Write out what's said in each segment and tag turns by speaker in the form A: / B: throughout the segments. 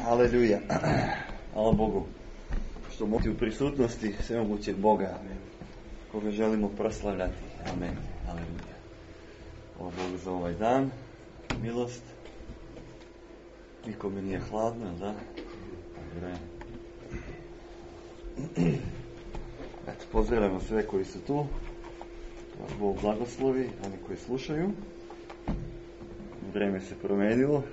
A: Aleluja. Hvala Bogu što možete u prisutnosti svemogućeg Boga, koga želimo proslavljati. Amen. Aleluja. Hvala Bogu za ovaj dan, milost. Nikome nije hladno, jel da? Dobre. Eto, pozdravljamo sve koji su tu. Bog blagoslovi, oni koji slušaju. Vreme se promenilo.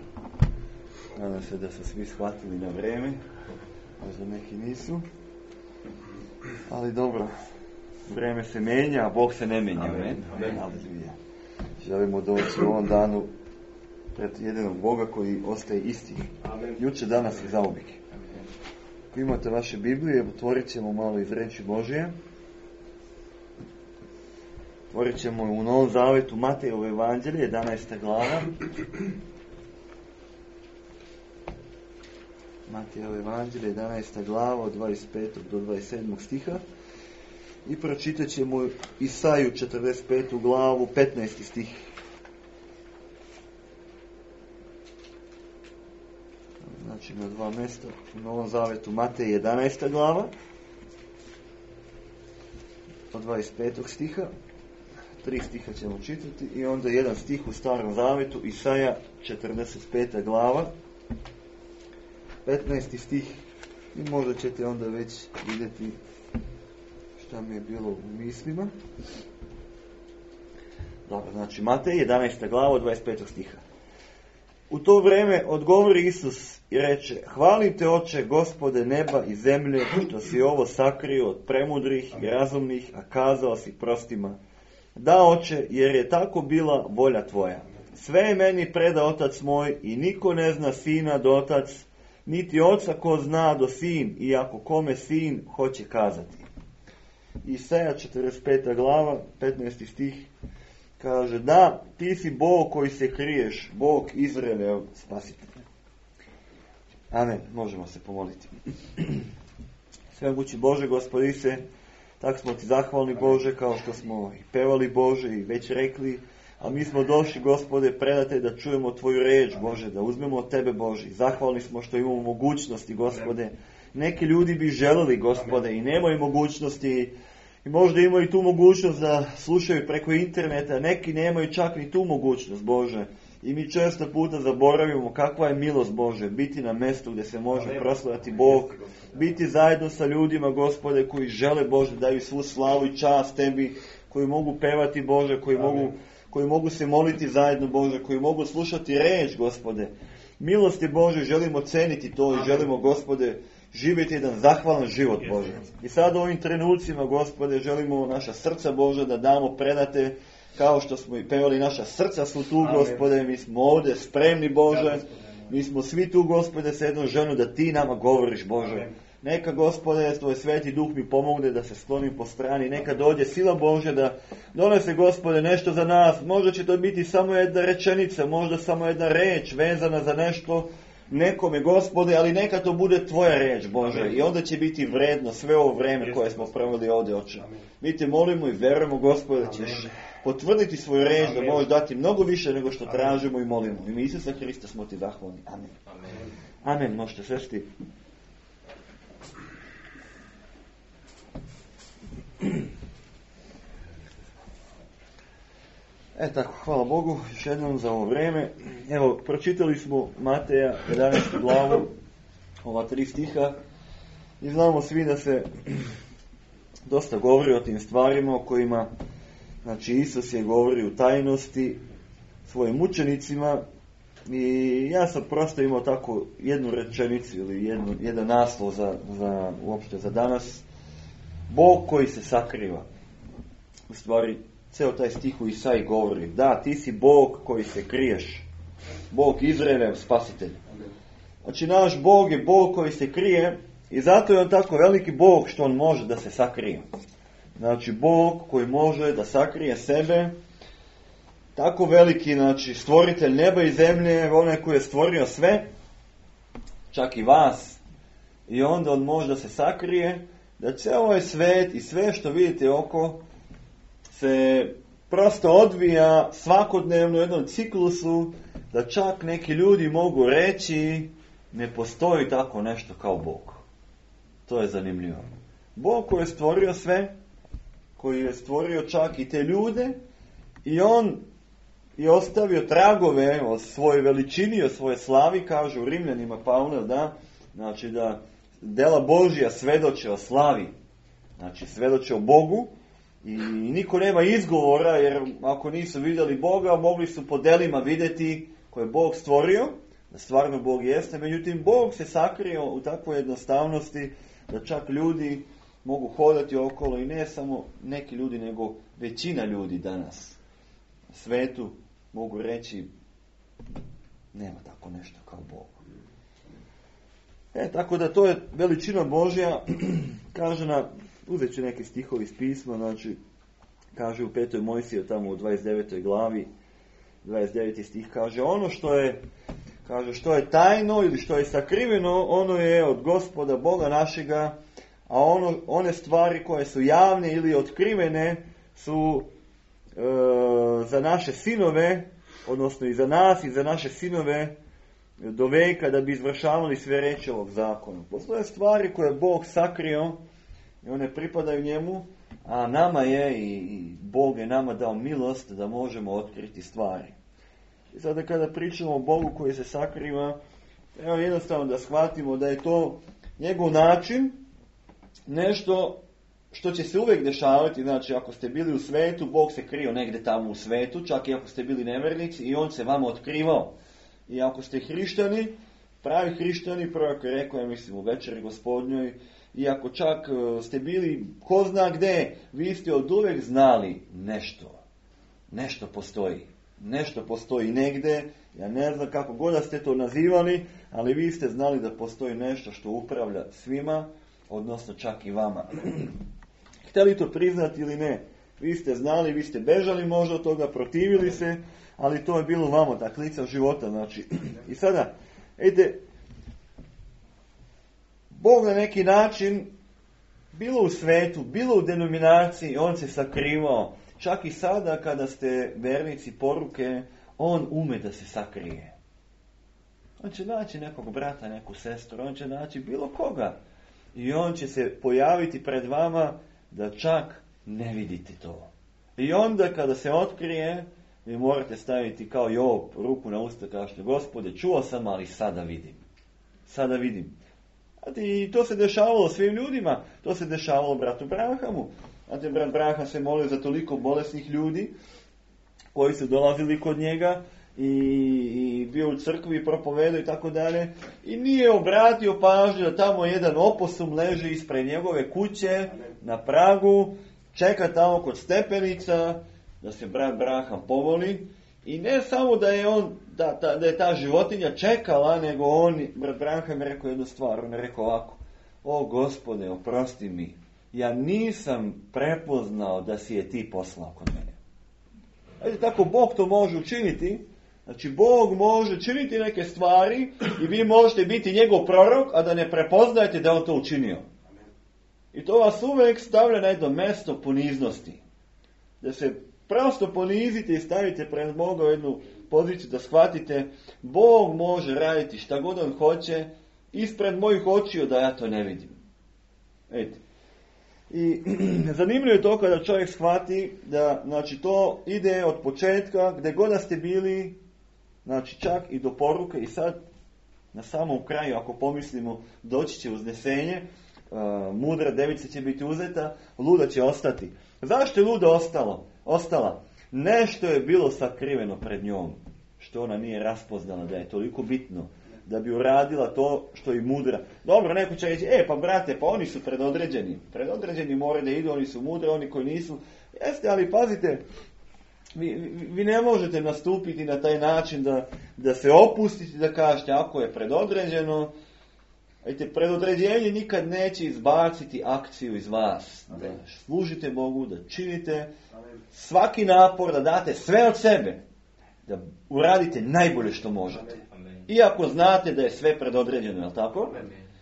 A: Nadam se da su svi shvatili na vreme. Možda neki nisu. Ali dobro. Vreme se menja, a Bog se ne menja. Amen. Aleluja. Želimo doći u ovom danu pred jedinog Boga koji ostaje isti. Juče, danas i zauvijek. Ako imate vaše Biblije, otvorit ćemo malo iz reči Božije. Otvorit ćemo u Novom Zavetu Matejevo evanđelje, 11. glava. Matejevo evanđelje, 11. glava, od 25. do 27. stiha. I pročitat ćemo Isaju 45. glavu, 15. stih. Znači na dva mjesta u Novom Zavetu Matej 11. glava, od 25. stiha. 3 stiha ćemo čitati i onda jedan stih u Starom Zavetu, Isaja 45. glava, 15. stih. I možda ćete onda već vidjeti šta mi je bilo u mislima. Dobro, znači Matej 11. glava od 25. stiha. U to vrijeme odgovori Isus i reče: Hvalim te, Oče, Gospode neba i zemlje, što si ovo sakrio od premudrih i razumnih, a kazao si prostima. Da, Oče, jer je tako bila volja tvoja. Sve je meni preda Otac moj i niko ne zna Sina do Otac, niti Oca ko zna do Sin, iako kome Sin hoće kazati. Isaja 45. glava, 15. stih, kaže: Da, ti si Bog koji se kriješ, Bog Izraelov spasitelj. Amen. Možemo se pomoliti. Svemogući Bože, Gospodi se, tako smo ti zahvalni, Bože, kao što smo i pevali, Bože, i već rekli, a mi smo došli, Gospode, predate da čujemo tvoju reč, Bože, da uzmemo od tebe, Bože. Zahvalni smo što imamo mogućnosti, Gospode. Neki ljudi bi želeli, Gospode, i nemaju mogućnosti, i možda imaju i tu mogućnost da slušaju preko interneta, neki nemaju čak ni tu mogućnost, Bože. I mi često puta zaboravimo kakva je milost, Bože, biti na mjestu gdje se može proslavljati Bog, biti zajedno sa ljudima, Gospode, koji žele, Bože, daju svu slavu i čast tebi, koji mogu pevati, Bože, koji mogu se moliti zajedno, Bože, koji mogu slušati reč, Gospode. Milosti, Bože, želimo ceniti to i želimo, Gospode, živjeti jedan zahvalan život, Bože. I sad u ovim trenucima, Gospode, želimo naša srca, Bože, da damo predate, kao što smo i pevali, naša srca su tu, Gospode, mi smo ovdje spremni, Bože, mi smo svi tu, Gospode, sa jednom željom da ti nama govoriš, Bože. Neka, Gospode, tvoj sveti duh mi pomogne da se sklonim po strani, neka dođe sila Božja da donese, Gospode, nešto za nas. Možda će to biti samo jedna rečenica, možda samo jedna reč vezana za nešto nekome, Gospode, ali neka to bude tvoja reč, Bože, i onda će biti vredno sve ovo vreme koje smo proveli ovdje, Oče. Mi te molimo i verujemo, Gospode, da ćeš potvrditi svoju reč, da možeš dati mnogo više nego što tražimo i molimo. U ime Isusa Hrista smo ti zahvalni. Amen. Amen. Možete sesti. Tako, hvala Bogu još jednom za ovo vrijeme. Evo, pročitali smo Mateja 11. glavu, ova 3 stiha, i znamo svi da se dosta govori o tim stvarima o kojima, znači, Isus je govori u tajnosti svojim učenicima, i ja sam prosto imao tako jednu rečenicu ili jedan naslov uopšte za danas: Bog koji se sakriva. U stvari, ceo taj stih u Isaiji govori: da, ti si Bog koji se kriješ, Bog Izraelov spasitelj. Znači, naš Bog je Bog koji se krije, i zato je on tako veliki Bog što on može da se sakrije. Znači, Bog koji može da sakrije sebe, tako veliki, znači, stvoritelj neba i zemlje, onaj koji je stvorio sve, čak i vas, i onda on može da se sakrije, da ceo ovaj svet i sve što vidite oko se prosto odvija svakodnevno u jednom ciklusu, da čak neki ljudi mogu reći ne postoji tako nešto kao Bog. To je zanimljivo. Bog koji je stvorio sve, koji je stvorio čak i te ljude, i on je ostavio tragove o svojoj veličini, o svojoj slavi, kaže u Rimljanima Pavle, da, znači da dela Božja svedoče o slavi, znači svedoče o Bogu, i niko nema izgovora, jer ako nisu vidjeli Boga, mogli su po delima vidjeti koje je Bog stvorio, da stvarno Bog jeste, međutim Bog se sakrio u takvoj jednostavnosti da čak ljudi mogu hodati okolo, i ne samo neki ljudi, nego većina ljudi danas u svetu mogu reći nema tako nešto kao Bog. Tako da to je veličina Božja. Kaže uzet ću neki stihovi iz pisma, znači kaže u 5. Mojsiju tamo u 29. glavi 29. stih, kaže ono što je tajno ili što je sakriveno, ono je od Gospoda Boga našega, a one stvari koje su javne ili otkrivene su za naše sinove, odnosno i za nas i za naše sinove do veka, da bi izvršavali sve reči ovog zakona. Postoje stvari koje Bog sakrio i one pripadaju njemu, a nama je i Bog je nama dao milost da možemo otkriti stvari. I sada kada pričamo o Bogu koji se sakriva, evo jednostavno da shvatimo da je to njegov način, nešto što će se uvijek dešavati. Znači ako ste bili u svetu, Bog se krio negdje tamo u svetu, čak i ako ste bili nevernici, i on se vama otkrivao. I ako ste hrišćani, pravi hrišćani, prorok je rekao, ja mislim u večeri gospodnjoj, i ako čak ste bili ko zna gdje, vi ste od uvijek znali nešto postoji. Nešto postoji negdje, ja ne znam kako god da ste to nazivali, ali vi ste znali da postoji nešto što upravlja svima, odnosno čak i vama. Htjeli to priznati ili ne, vi ste znali, vi ste bežali možda od toga, protivili se, ali to je bilo vama, tak lica života, znači. I sada, Bog na neki način, bilo u svetu, bilo u denominaciji, on se sakrivao. Čak i sada kada ste vernici poruke, on ume da se sakrije. On će naći nekog brata, neku sestru, on će naći bilo koga. I on će se pojaviti pred vama da čak ne vidite to. I onda kada se otkrije, vi morate staviti kao Job ruku na usta, kažete, Gospode, čuo sam, ali sada vidim. Sada vidim. I to se dešavalo svim ljudima. To se dešavalo bratu Brahamu. Znate, brat Braham se molio za toliko bolesnih ljudi koji su dolazili kod njega i bio u crkvi i propovedao i tako dalje. I nije obratio pažnju da tamo jedan oposum leži ispred njegove kuće na pragu, čeka tamo kod stepenica da se brat Braham povoli. I ne samo da je on, da je ta životinja čekala, nego brat Braham je rekao jednu stvar. On je rekao ovako: o Gospode, oprosti mi, ja nisam prepoznao da si je ti poslao kod mene. Ajde, tako Bog to može učiniti. Znači, Bog može činiti neke stvari i vi možete biti njegov prorok, a da ne prepoznajete da on to učinio. I to vas uvijek stavlja na jedno mjesto poniznosti. Da se prosto ponizite i stavite pred Boga u jednu poziciju da shvatite, Bog može raditi šta god on hoće ispred mojih očiju da ja to ne vidim. Vidite. I zanimljivo je to kada čovjek shvati da, znači, to ide od početka, gdje god da ste bili, znači čak i do poruke. I sad na samom kraju, ako pomislimo, doći će uznesenje, mudra devica će biti uzeta, luda će ostati. Zašto je luda ostala? Nešto je bilo sakriveno pred njom, što ona nije raspoznala da je toliko bitno da bi uradila to što je mudra. Dobro, neko će reći, pa brate, pa oni su predodređeni. Predodređeni moraju da idu, oni su mudri, oni koji nisu. Jeste, ali pazite, vi ne možete nastupiti na taj način da se opustite, da kažete, ako je predodređeno, predodređenje nikad neće izbaciti akciju iz vas. Da služite Bogu, da činite svaki napor, da date sve od sebe, da uradite najbolje što možete. Iako znate da je sve predodređeno, je li tako?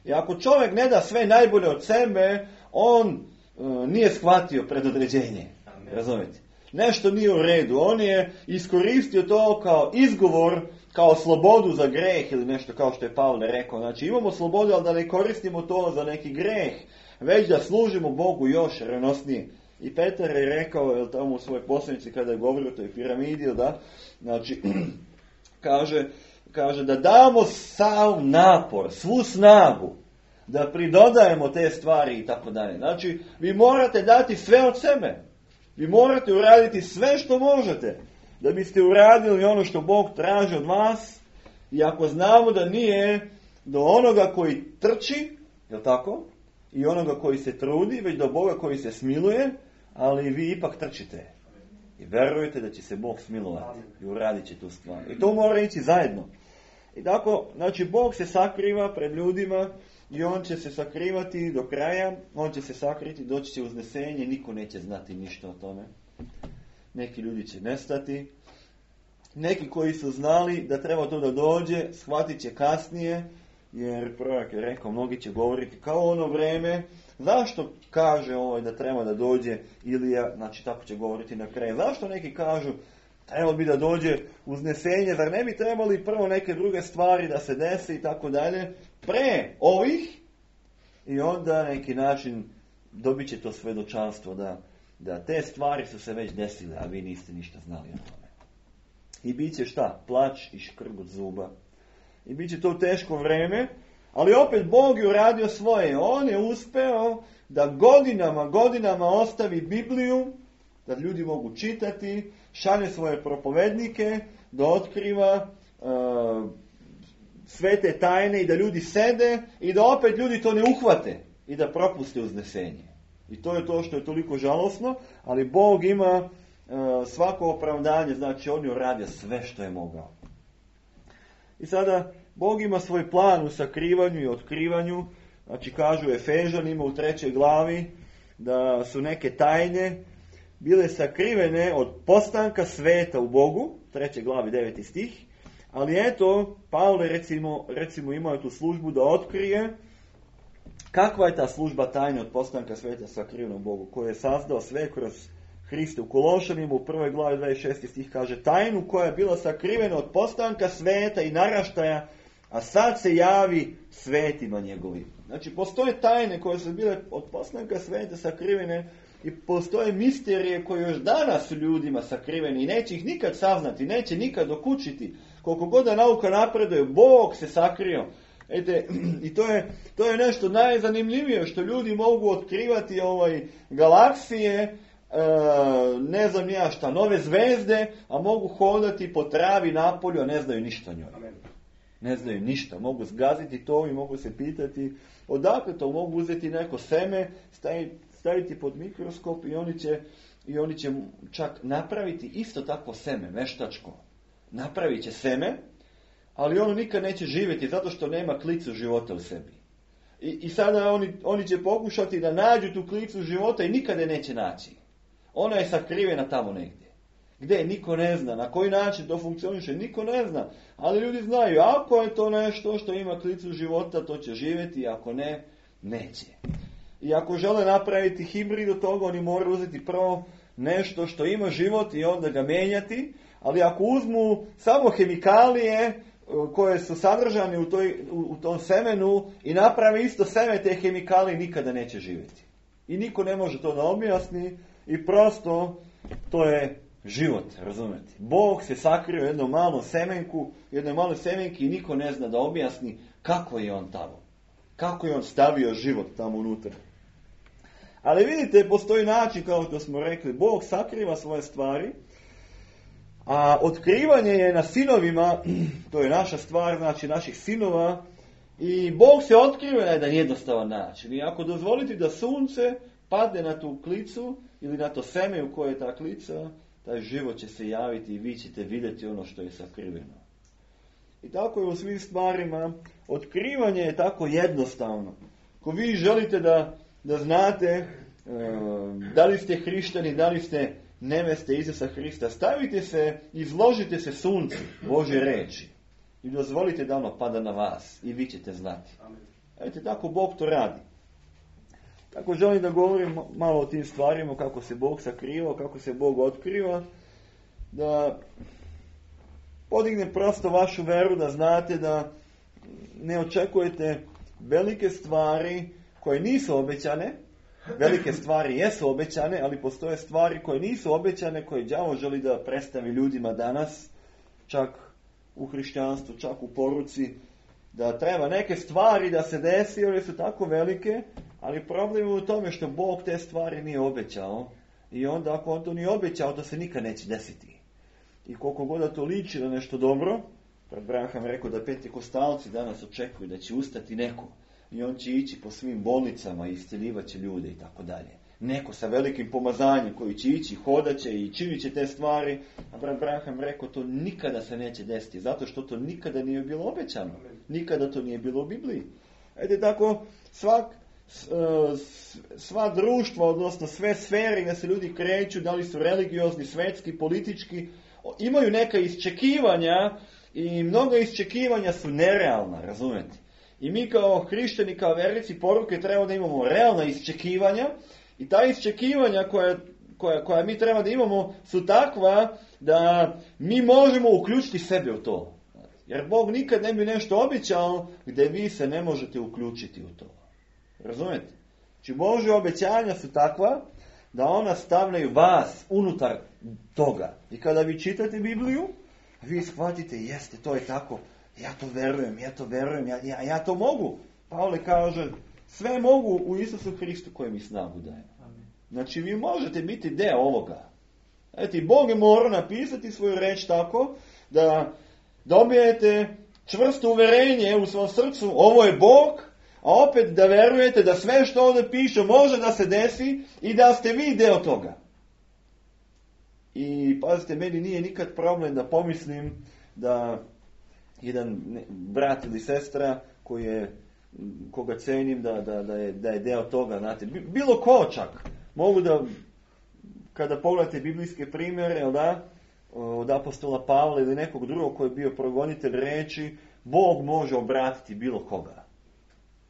A: I ako čovjek ne da sve najbolje od sebe, on nije shvatio predodređenje. Razumijete? Nešto nije u redu. On je iskoristio to kao izgovor kao slobodu za greh ili nešto kao što je Pavle rekao. Znači imamo slobodu, ali da ne koristimo to za neki greh, već da služimo Bogu još renosnije. I Petar je rekao, jel tamo u svojoj poslanici kada je govorio o toj piramidi, da, znači, kaže da damo sav napor, svu snagu, da pridodajemo te stvari i tako dalje. Znači, vi morate dati sve od sebe. Vi morate uraditi sve što možete, da biste uradili ono što Bog traži od vas. I ako znamo da nije do onoga koji trči, jel tako, i onoga koji se trudi, već do Boga koji se smiluje, ali vi ipak trčite. I verujete da će se Bog smilovati i uradit će tu stvar. I to mora ići zajedno. I tako, znači, Bog se sakriva pred ljudima i on će se sakrivati do kraja, on će se sakriti, doći će uznesenje, niko neće znati ništa o tome. Neki ljudi će nestati. Neki koji su znali da treba to da dođe, shvatit će kasnije, jer prorok je rekao, mnogi će govoriti kao ono vreme. Zašto kaže da treba da dođe Ilija, znači tako će govoriti na kraju. Zašto neki kažu, trebalo bi da dođe uznesenje, zar ne bi trebali prvo neke druge stvari da se dese i tako dalje, pre ovih, i onda na neki način dobit će to svedočanstvo da te stvari su se već desile, a vi niste ništa znali o tome. I bit će šta? Plač i škrgut zuba. I bit će to teško vreme, ali opet Bog je uradio svoje. On je uspeo da godinama ostavi Bibliju, da ljudi mogu čitati, šalje svoje propovednike, da otkriva sve te tajne i da ljudi sede i da opet ljudi to ne uhvate i da propuste uznesenje. I to je to što je toliko žalosno, ali Bog ima svako opravdanje, znači on je uradio sve što je mogao. I sada Bog ima svoj plan u sakrivanju i otkrivanju, znači kažu Efežanima u 3. glavi da su neke tajne bile sakrivene od postanka sveta u Bogu, 3. glavi 9. stih, ali eto, Pavle recimo imao tu službu da otkrije kakva je ta služba tajne od postanka sveta sakrivena u Bogu, koju je sazdao sve kroz Hrista. U Kološanima u 1. glavi 26. stih kaže tajnu koja je bila sakrivena od postanka sveta i naraštaja, a sad se javi svetima njegovim. Znači, postoje tajne koje su bile od postanka sveta sakrivene i postoje misterije koje još danas su ljudima sakrivene i neće ih nikad saznati, neće nikad dokučiti. Koliko god da nauka napreduje, Bog se sakrio. I to je nešto najzanimljivije što ljudi mogu otkrivati galaksije, ne znam ja šta, nove zvezde, a mogu hodati po travi napolju, a ne znaju ništa o njoj. Ne znaju ništa. Mogu zgaziti to i mogu se pitati odakle to, mogu uzeti neko seme, staviti pod mikroskop i oni će čak napraviti isto takvo seme, veštačko. Napravit će seme, ali ono nikad neće živjeti zato što nema klicu života u sebi. I sada oni će pokušati da nađu tu klicu života i nikada je neće naći. Ona je sakrivena tamo negdje. Gdje? Niko ne zna. Na koji način to funkcioniše? Niko ne zna. Ali ljudi znaju, ako je to nešto što ima klicu života, to će živjeti, ako ne, neće. I ako žele napraviti hibrid od toga, oni moraju uzeti prvo nešto što ima život i onda ga menjati. Ali ako uzmu samo hemikalije koje su sadržane u tom semenu i naprave isto seme, te hemikalije nikada neće živjeti. I niko ne može to da objasni i prosto to je život, razumete. Bog se sakrio u jednom malom semenku, jednoj maloj semenki i niko ne zna da objasni kako je on tamo. Kako je on stavio život tamo unutra. Ali vidite, postoji način, kao što smo rekli, Bog sakriva svoje stvari, a otkrivanje je na sinovima, to je naša stvar, znači naših sinova, i Bog se otkriva na jedan jednostavan način. I ako dozvolite da sunce padne na tu klicu ili na to seme u koje je ta klica, taj život će se javiti i vi ćete vidjeti ono što je sakriveno. I tako je u svim stvarima. Otkrivanje je tako jednostavno. Ako vi želite da znate da li ste hrišćani, da li ste neveste Isusa Hrista, stavite se, izložite se suncu Božje reči i dozvolite da ono pada na vas i vi ćete znati. Eto, tako Bog to radi. Tako želim da govorim malo o tim stvarima, kako se Bog sakriva, kako se Bog otkriva, da podigne prosto vašu veru da znate da ne očekujete velike stvari koje nisu obećane. Velike stvari jesu obećane, ali postoje stvari koje nisu obećane, koje đavo želi da predstavi ljudima danas, čak u hrišćanstvu, čak u poruci, da treba neke stvari da se desi, jer su tako velike, ali problem je u tome što Bog te stvari nije obećao, i onda ako on to nije obećao, to se nikad neće desiti. I koliko god da to liči na nešto dobro, Abraham rekao da pentekostalci danas očekuju da će ustati neko, i on će ići po svim bolnicama i isceljivat će ljude i tako dalje. Neko sa velikim pomazanjem koji će ići, hodaće i činit će te stvari. Abraham rekao to nikada se neće desiti, zato što to nikada nije bilo obećano. Nikada to nije bilo u Bibliji. Ajde tako, sva društva, odnosno sve sfere gdje se ljudi kreću, da li su religiozni, svetski, politički, imaju neka iščekivanja i mnoga iščekivanja su nerealna, razumete? I mi kao hrišćani, kao vernici poruke treba da imamo realna iščekivanja, i ta iščekivanja koja mi treba da imamo su takva da mi možemo uključiti sebe u to. Jer Bog nikad ne bi nešto obećao gdje vi se ne možete uključiti u to. Razumete? Znači Božje obećanja su takva da ona stavljaju vas unutar toga. I kada vi čitate Bibliju, vi shvatite, jeste, to je tako, ja to verujem, ja to mogu. Pavle kaže, sve mogu u Isusu Hristu koji mi snagu daje. Znači vi možete biti deo ovoga. Eto, Bog je morao napisati svoju reč tako da dobijete čvrsto uverenje u svom srcu, ovo je Bog, a opet da verujete da sve što ovdje piše može da se desi i da ste vi deo toga. I pazite, meni nije nikad problem da pomislim da jedan brat ili sestra koga cenim da je deo toga, znate, bilo ko čak. Mogu da, kada pogledate biblijske primjere, od apostola Pavla ili nekog drugog koji je bio progonitelj reči, Bog može obratiti bilo koga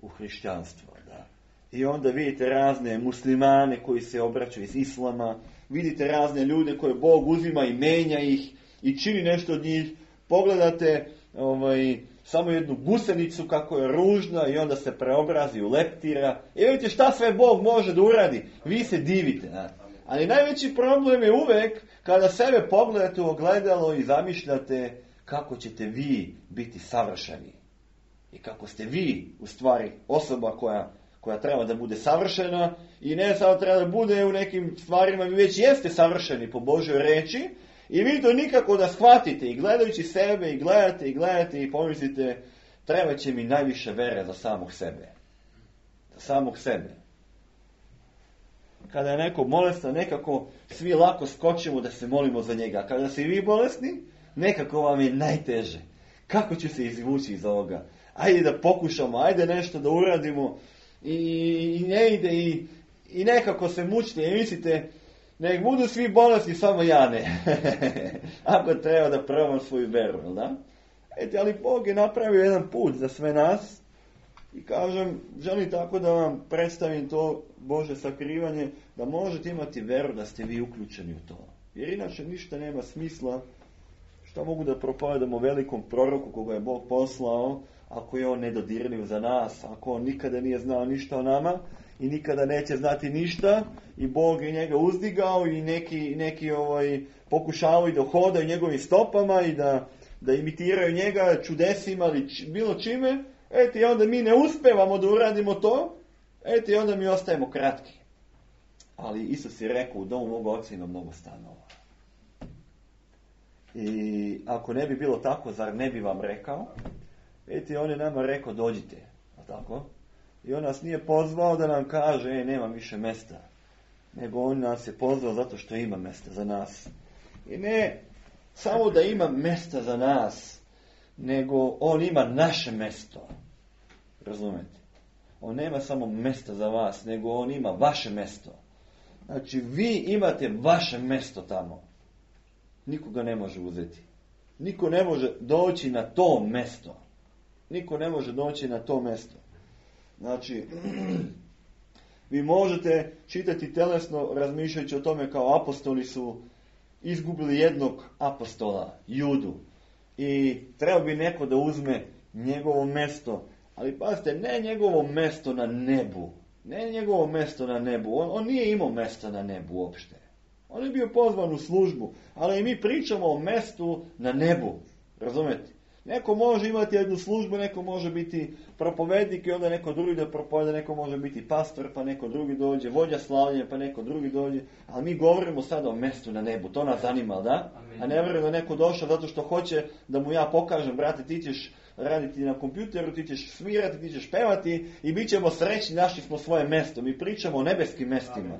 A: u hrišćanstvo. Da. I onda vidite razne muslimane koji se obraćaju iz islama, vidite razne ljude koje Bog uzima i menja ih i čini nešto od njih. Pogledate samo jednu gusenicu kako je ružna i onda se preobrazi u leptira. I vidite šta sve Bog može da uradi. Vi se divite. Znate. Ali najveći problem je uvek kada sebe pogledate u ogledalo i zamišljate kako ćete vi biti savršeni. I kako ste vi u stvari osoba koja treba da bude savršena i ne samo treba da bude u nekim stvarima, vi već jeste savršeni po Božoj reči i vi to nikako da shvatite i gledajući sebe i gledate i pomislite treba će mi najviše vere za samog sebe. Za samog sebe. Kada je neko bolestan, nekako svi lako skočimo da se molimo za njega. Kada ste i vi bolesni, nekako vam je najteže. Kako ću se izvući iz ovoga? Ajde da pokušamo, ajde nešto da uradimo. I ne ide i nekako se mučite i mislite, nek budu svi bolesni, samo ja ne. Ako treba da probam svoju veru, da? Ali Bog je napravio jedan put za sve nas i kažem, želim tako da vam predstavim to Bože sakrivanje, da možete imati veru da ste vi uključeni u to. Jer inače ništa nema smisla. Što mogu da propovedamo velikom proroku koga je Bog poslao, ako je on nedodirljiv za nas, ako on nikada nije znao ništa o nama i nikada neće znati ništa i Bog je njega uzdigao i neki pokušavaju da hodaju njegovim stopama i da imitiraju njega čudesima ili bilo čime, i onda mi ne uspevamo da uradimo to, i onda mi ostajemo kratki. Ali Isus je rekao, u domu mog oca ima mnogo stanova. I ako ne bi bilo tako, zar ne bi vam rekao? On je nama rekao, dođite. Tako? I on nas nije pozvao da nam kaže, nema više mesta. Nego on nas je pozvao zato što ima mesta za nas. I ne samo da ima mesta za nas, nego on ima naše mesto. Razumete? On nema samo mesta za vas, nego on ima vaše mesto. Znači, vi imate vaše mesto tamo. Niko ga ne može uzeti. Niko ne može doći na to mesto. Niko ne može doći na to mesto. Znači, vi možete čitati telesno razmišljajući o tome kao apostoli su izgubili jednog apostola, Judu. i treba bi neko da uzme njegovo mesto. Ali pazite, ne njegovo mesto na nebu. Ne njegovo mesto na nebu. On nije imao mesta na nebu uopšte. On je bio pozvan u službu. Ali mi pričamo o mestu na nebu. Razumete? Neko može imati jednu službu, neko može biti propovednik i onda neko drugi da propoveda, neko može biti pastor, pa neko drugi dođe, vođa slavljenja, pa neko drugi dođe. Ali mi govorimo sada o mestu na nebu. To nas zanima, da? A ne vjerujem da neko došao zato što hoće da mu ja pokažem, brate, ti ćeš raditi na kompjuteru, ti ćeš svirati, ti ćeš pevati i bit ćemo srećni, našli smo svoje mesto. Mi pričamo o nebeskim mestima.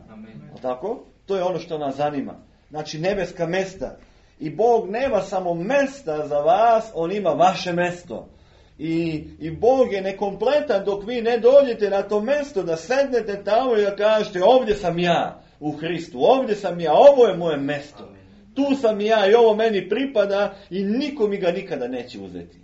A: A tako? To je ono što nas zanima. Znači nebeska mesta. I Bog nema samo mesta za vas, on ima vaše mesto. I Bog je nekompletan dok vi ne dođete na to mesto, da sednete tamo i da kažete ovdje sam ja u Hristu, ovdje sam ja, ovo je moje mesto. Tu sam ja i ovo meni pripada i niko mi ga nikada neće uzeti.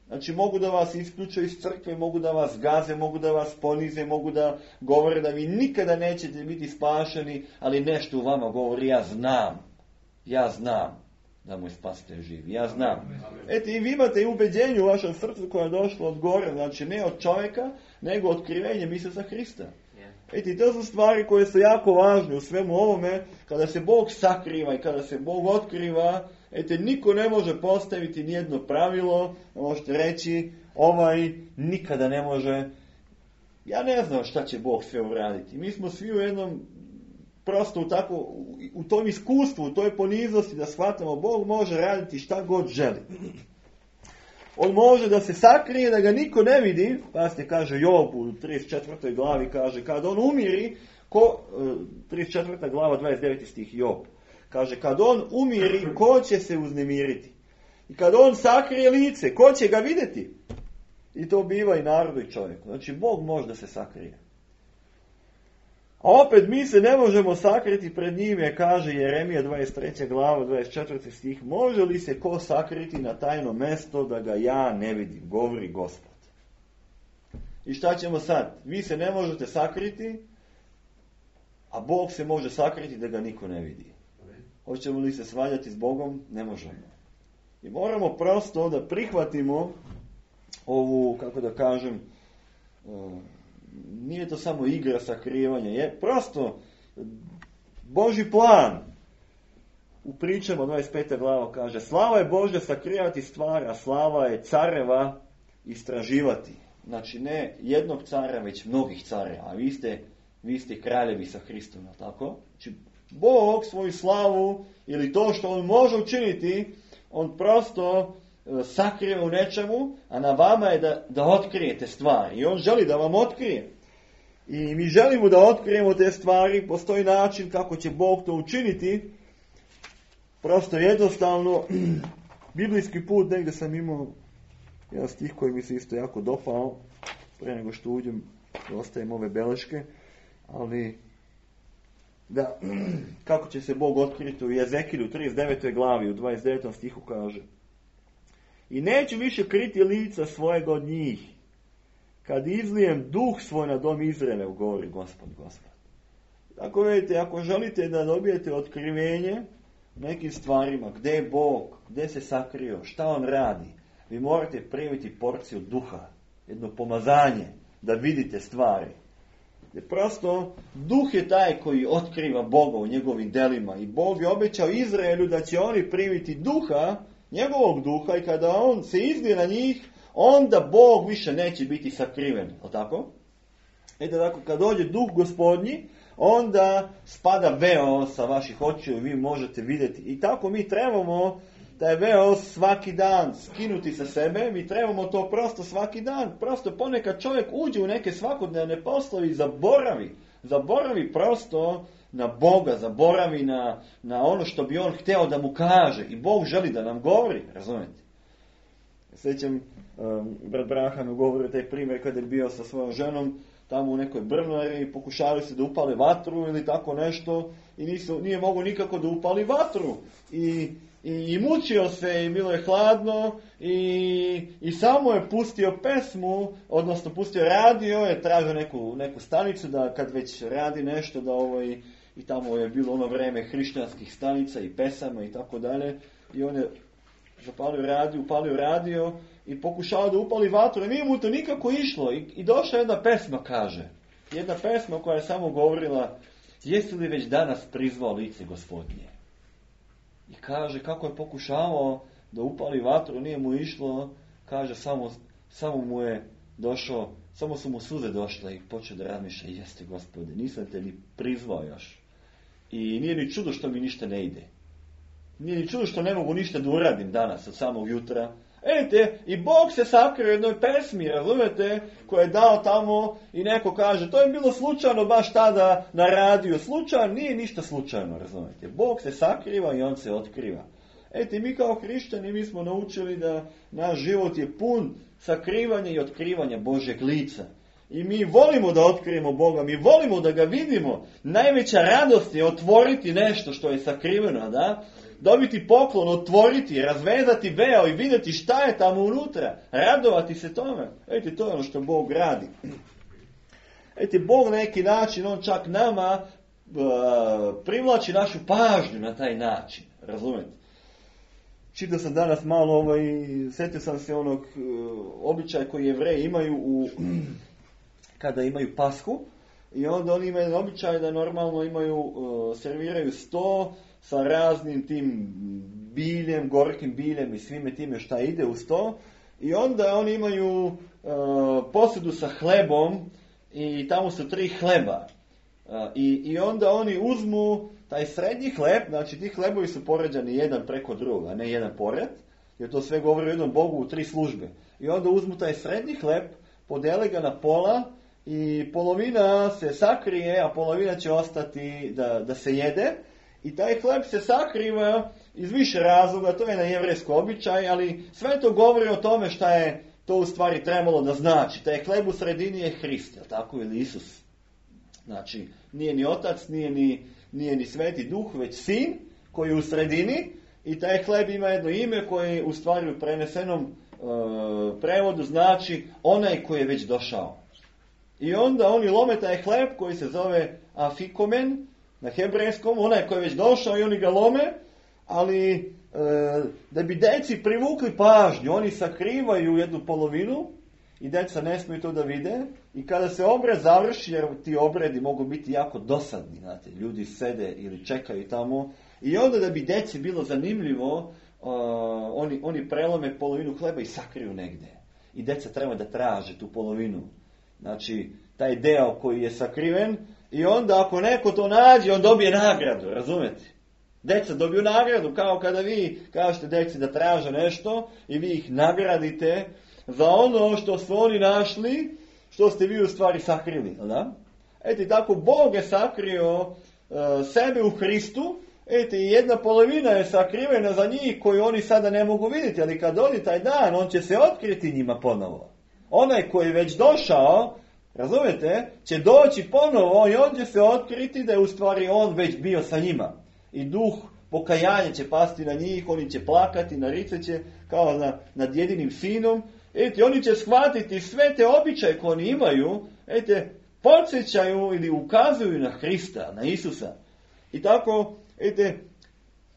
A: Znači mogu da vas isključe iz crkve, mogu da vas gaze, mogu da vas ponize, mogu da govore da vi nikada nećete biti spašeni, ali nešto u vama govori, ja znam da mu je spasitelj živ, ja znam. Eto i vi imate i ubeđenje u vašem srcu koje je došlo od gore, znači ne od čovjeka, nego otkrivenjem Isusa Hrista. Eto i to su stvari koje su jako važne u svemu ovome, kada se Bog sakriva i kada se Bog otkriva. Eto, niko ne može postaviti nijedno pravilo, možete reći, nikada ne može. Ja ne znam šta će Bog sve uraditi. Mi smo svi u jednom, prosto u tom iskustvu, u toj poniznosti da shvatamo, Bog može raditi šta god želi. On može da se sakrije, da ga niko ne vidi, pa se kaže Job u 34. glavi, kaže, kad on umiri, 34. glava, 29. stih Job. Kaže, kad on umiri, ko će se uznemiriti? I kad on sakrije lice, ko će ga vidjeti? I to biva i narodu i čovjeku. Znači, Bog može da se sakrije. A opet mi se ne možemo sakriti pred njim, jer kaže Jeremija 23. glava, 24. stih, može li se ko sakriti na tajno mesto da ga ja ne vidim, govori Gospod. I šta ćemo sad? Vi se ne možete sakriti, a Bog se može sakriti da ga niko ne vidi. Hoćemo li se svađati s Bogom? Ne možemo. I moramo prosto da prihvatimo ovu, kako da kažem, nije to samo igra sakrivanja, je prosto Božji plan. U pričama 25. glava kaže, slava je Božja sakrivati stvar, a slava je careva istraživati. Znači ne jednog cara, već mnogih careva, a vi ste kraljevi sa Hristom, tako? Znači Bog svoju slavu ili to što on može učiniti, on prosto sakriva u nečemu, a na vama je da otkrijete stvari. I on želi da vam otkrije. I mi želimo da otkrijemo te stvari, postoji način kako će Bog to učiniti. Prosto jednostavno, biblijski put, negdje sam imao jedan stih koji mi se isto jako dopao, pre nego što uđem, ostajem ove beleške, ali da, kako će se Bog otkriti u Jezekilju 39. glavi, u 29. stihu kaže, i neću više kriti lica svojega od njih, kad izlijem duh svoj na dom Izraele, govori Gospod. Tako vidite, ako želite da dobijete otkrivenje nekim stvarima, gdje je Bog, gdje se sakrio, šta on radi, vi morate primiti porciju duha, jedno pomazanje, da vidite stvari. Jer prosto, duh je taj koji otkriva Boga u njegovim delima i Bog je obećao Izraelu da će oni primiti duha, njegovog duha, i kada on se izlije na njih, onda Bog više neće biti sakriven. O tako? Tako, kad dođe duh Gospodnji, onda spada veo sa vaših očiju i vi možete vidjeti. I tako mi trebamo taj veo svaki dan skinuti sa sebe, mi trebamo to prosto svaki dan. Prosto ponekad čovjek uđe u neke svakodnevne poslove i zaboravi prosto na Boga, zaboravi na ono što bi on htio da mu kaže. I Bog želi da nam govori, razumijete? Sjećam, brat Brahanu govori taj primjer kada je bio sa svojom ženom tamo u nekoj brnari i pokušali se da upale vatru ili tako nešto i nije mogo nikako da upali vatru. I mučio se i bilo je hladno i samo je pustio pesmu, odnosno pustio radio, je tražio neku stanicu da kad već radi nešto da i tamo je bilo ono vreme hrišćanskih stanica i pesama i tako dalje i on je upalio radio i pokušao da upali vatru, i nije mu to nikako išlo. I došla jedna pesma, kaže. Jedna pesma koja je samo govorila: jesi li već danas prizvao lice Gospodnje? I kaže, kako je pokušavao da upali vatru, nije mu išlo, kaže, samo mu je došao, samo su mu suze došle i počeo da razmišlja: jeste Gospode, nisam te ni prizvao još. I nije ni čudo što mi ništa ne ide. Nije ni čudo što ne mogu ništa da uradim danas od samog jutra. Vidite, i Bog se sakrio u jednoj pesmi, razumete, koja je dao tamo, i neko kaže, to je bilo slučajno baš tada na radiju. Slučajno, nije ništa slučajno, razumete. Bog se sakriva i on se otkriva. Mi kao hrišćani, mi smo naučili da naš život je pun sakrivanja i otkrivanja Božjeg lica. I mi volimo da otkrijemo Boga, mi volimo da ga vidimo. Najveća radost je otvoriti nešto što je sakriveno, da? Dobiti poklon, otvoriti, razvezati veo i vidjeti šta je tamo unutra. Radovati se tome. To je ono što Bog radi. Bog na neki način, on čak nama privlači našu pažnju na taj način. Razumete? Čitao sam danas malo, sjetio sam se onog običaja koji Jevreji imaju kada imaju Pashu. I onda oni imaju običaj da normalno serviraju sto sa raznim tim biljem, gorkim biljem i svime time šta ide uz to. I onda oni imaju posudu sa hlebom i tamo su 3 hleba. I onda oni uzmu taj srednji hleb, znači ti hlebovi su poređani jedan preko drugog, a ne jedan pored, jer to sve govori o jednom Bogu u 3 službe. I onda uzmu taj srednji hleb, podele ga na pola i polovina se sakrije, a polovina će ostati da se jede. I taj hleb se sakriva iz više razloga, to je na jevrejsko običaj, ali sve to govori o tome šta je to u stvari trebalo da znači. Taj hleb u sredini je Hrist, je li tako, ili Isus? Znači, nije ni Otac, nije ni Sveti Duh, već Sin koji je u sredini, i taj hleb ima jedno ime koje u stvari u prenesenom prevodu znači onaj koji je već došao. I onda oni lome taj hleb koji se zove afikomen na hebrejskom, onaj koji je već došao, i oni ga lome, ali da bi deci privukli pažnju, oni sakrivaju jednu polovinu i deca ne smiju to da vide. I kada se obred završi, jer ti obredi mogu biti jako dosadni, znate, ljudi sede ili čekaju tamo, i onda da bi deci bilo zanimljivo, oni prelome polovinu hleba i sakriju negde. I deca treba da traže tu polovinu. Znači, taj deo koji je sakriven, i onda ako neko to nađe, on dobije nagradu, razumete? Deca dobiju nagradu, kao kada vi kažete deci da traže nešto i vi ih nagradite za ono što su oni našli, što ste vi u stvari sakrili. Da? Tako Bog je sakrio sebe u Hristu, i jedna polovina je sakrivena za njih koju oni sada ne mogu vidjeti, ali kad dođe taj dan, on će se otkriti njima ponovo. Onaj koji je već došao, razumete, će doći ponovo i on će se otkriti da je u stvari on već bio sa njima. I duh pokajanja će pasti na njih, oni će plakati, naricat će kao nad jedinim sinom. Oni će shvatiti sve te običaje koje oni imaju, podsjećaju ili ukazuju na Hrista, na Isusa. I tako,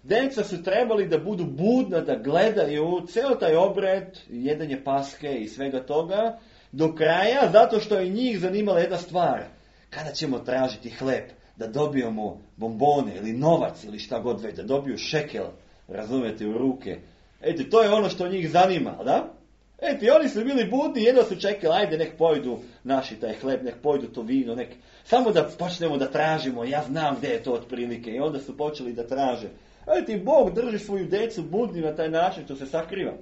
A: deca su trebali da budu budna, da gledaju ceo taj obred, jedenje Paske i svega toga, do kraja, zato što je njih zanimala jedna stvar. Kada ćemo tražiti hleb, da dobijemo bombone ili novac ili šta god već, da dobiju šekel, razumete, u ruke. To je ono što njih zanima, da? Oni su bili budni, jedno su čekali, ajde nek pojdu naši taj hleb, nek pojdu to vino, samo da počnemo da tražimo, ja znam gdje je to otprilike. I onda su počeli da traže. Bog drži svoju decu budni na taj način što se sakriva.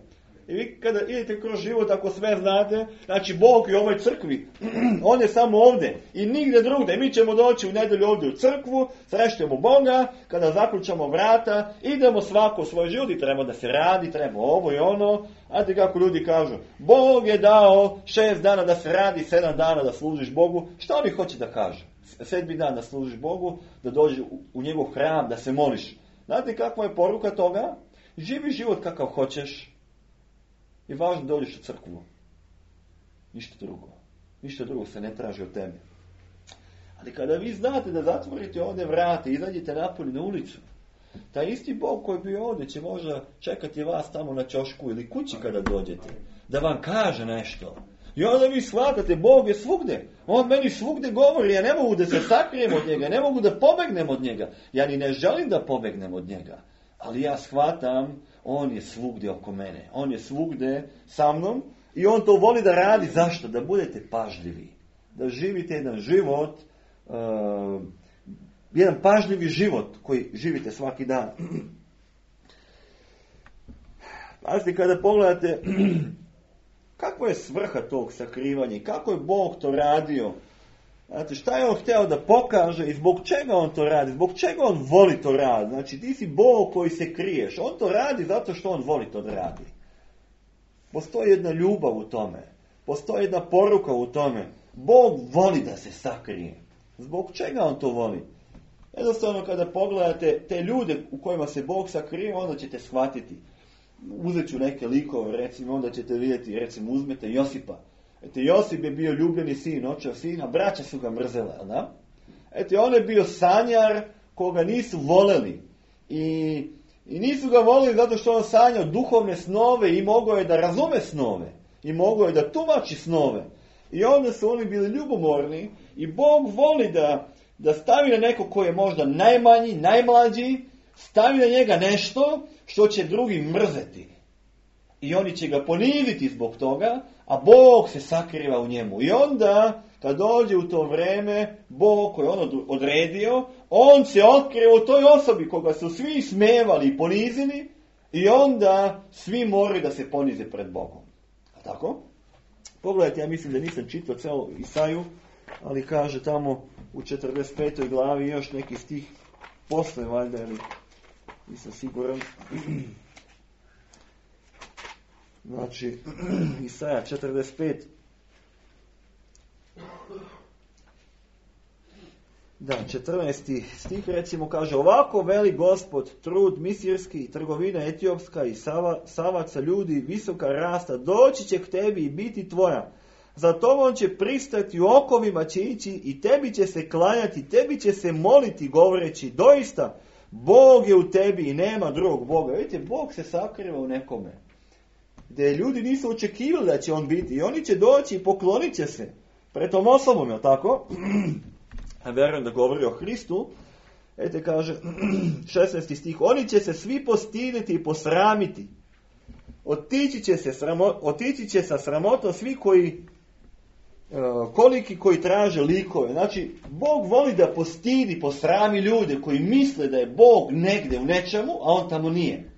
A: I vi kada idete kroz život, ako sve znate, znači Bog je u ovoj crkvi, on je samo ovdje i nigdje drugdje. Mi ćemo doći u nedelju ovdje u crkvu, srećemo Boga, kada zaključamo vrata, idemo svako u svoj život i treba da se radi, treba ovo i ono. Znate kako ljudi kažu, Bog je dao 6 dana da se radi, 7 dana da služiš Bogu. Šta oni hoće da kažu? 7. dan da služiš Bogu, da dođe u njegov hram, da se moliš. Znate kakva je poruka toga? Živi život kakav hoćeš. I važno da dođeš u crkvu. Ništa drugo. Ništa drugo se ne traži od tebe. Ali kada vi znate da zatvorite ovdje vrate, izađete napolje na ulicu Taj isti Bog koji je bio ovdje će možda čekati vas tamo na ćošku ili kući kada dođete. Da vam kaže nešto. I onda vi shvatate, Bog je svugdje. On meni svugdje govori, ja ne mogu da se sakrijem od njega, ne mogu da pobegnem od njega. Ja ni ne želim da pobegnem od njega. Ali ja shvatam, on je svugdje oko mene. On je svugdje sa mnom i on to voli da radi. Zašto? Da budete pažljivi. Da živite jedan život, jedan pažljivi život koji živite svaki dan. Pazite, kada pogledate kakva je svrha tog sakrivanja i kako je Bog to radio. Znate, šta je on htio da pokaže i zbog čega on to radi, zbog čega on voli to radi. Znači, ti si Bog koji se kriješ. On to radi zato što on voli to da radi. Postoji jedna ljubav u tome. Postoji jedna poruka u tome. Bog voli da se sakrije. Zbog čega on to voli? Jednostavno, kada pogledate te ljude u kojima se Bog sakrije, onda ćete shvatiti. Uzet ću neke likove, recimo, onda ćete vidjeti, recimo, uzmete Josipa. Eto, Josip je bio ljubljeni sin, očev sina, braća su ga mrzele, da? Eto, on je bio sanjar koga nisu voleli. I nisu ga voleli zato što on sanjao duhovne snove i mogao je da razume snove. I mogao je da tumači snove. I onda su oni bili ljubomorni i Bog voli da stavi na neko koji je možda najmanji, najmlađi, stavi na njega nešto što će drugi mrzeti. I oni će ga poniziti zbog toga, a Bog se sakriva u njemu. I onda, kad dođe u to vreme, Bog koji je on odredio, on se otkriva u toj osobi koga su svi smevali i ponizili, i onda svi moraju da se ponize pred Bogom. A tako? Pogledajte, ja mislim da nisam čitao celu Isaju, ali kaže tamo u 45. glavi još neki stih posle, valjda, ili nisam siguran. Znači, Isaja 45. Da, 14. stih recimo kaže: ovako veli Gospod, trud misirski, trgovina etiopska i savaca ljudi, visoka rasta, doći će k tebi i biti tvoja. Za tobom će pristati, u okovima će ići i tebi će se klanjati, tebi će se moliti govoreći: doista, Bog je u tebi i nema drugog Boga. Vidite, Bog se sakriva u nekome. Gdje ljudi nisu očekivali da će on biti. I oni će doći i poklonit će se pred tom osobom, je tako? A vjerujem da govori o Hristu. Ete kaže 16. stih: oni će se svi postiditi i posramiti. Otići će sa sramotom svi koji koliki koji traže likove. Znači, Bog voli da postidi, posrami ljude koji misle da je Bog negdje u nečemu, a on tamo nije.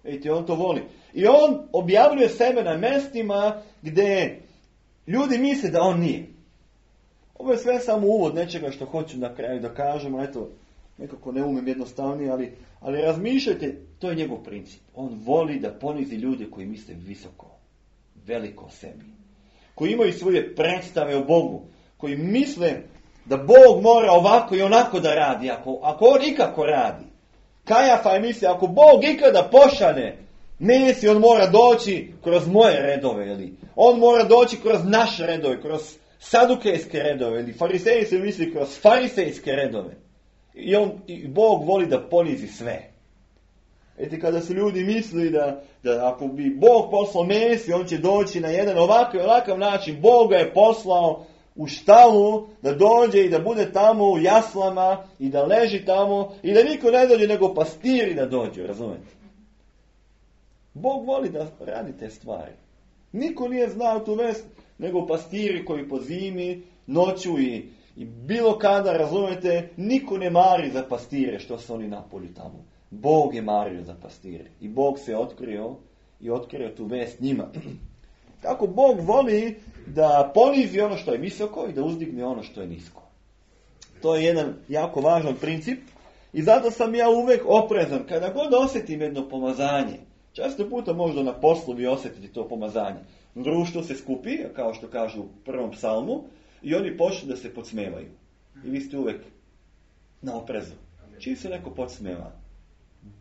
A: Vidite, on to voli. I on objavljuje sebe na mjestima gdje ljudi misle da on nije. Ovo je sve samo uvod nečega što hoću na kraju da kažemo. Eto, nekako ne umem jednostavnije, ali razmišljajte, to je njegov princip. On voli da ponizi ljude koji misle visoko, veliko o sebi. Koji imaju svoje predstave o Bogu. Koji misle da Bog mora ovako i onako da radi, ako on ikako radi. Kajafa je misli, ako Bog ikada pošalje Mesiju, on mora doći kroz moje redove, ili on mora doći kroz naše redove, kroz sadukejske redove, ili fariseji se misli kroz farisejske redove. I Bog voli da ponizi sve. Eti, kada su ljudi mislili da ako bi Bog poslao Mesiju, on će doći na jedan ovakav način. Bog ga je poslao u štalu da dođe i da bude tamo u jaslama i da leži tamo i da niko ne dođe nego pastiri da dođu, razumete? Bog voli da radi te stvari. Niko nije znao tu vest nego pastiri koji po zimi, noću i bilo kada, razumete, niko ne mari za pastire što su oni napolju tamo. Bog je mario za pastire i Bog se otkrio tu vest njima. Kako Bog voli da ponizi ono što je visoko i da uzdigne ono što je nisko. To je jedan jako važan princip i zato sam ja uvijek oprezan. Kada god osjetim jedno pomazanje, često puta možda na poslu vi osjetite to pomazanje. Društvo se skupi, kao što kažu u prvom psalmu, i oni počnu da se podsmevaju. I vi ste uvijek na oprezu. Čim se neko podsmeva,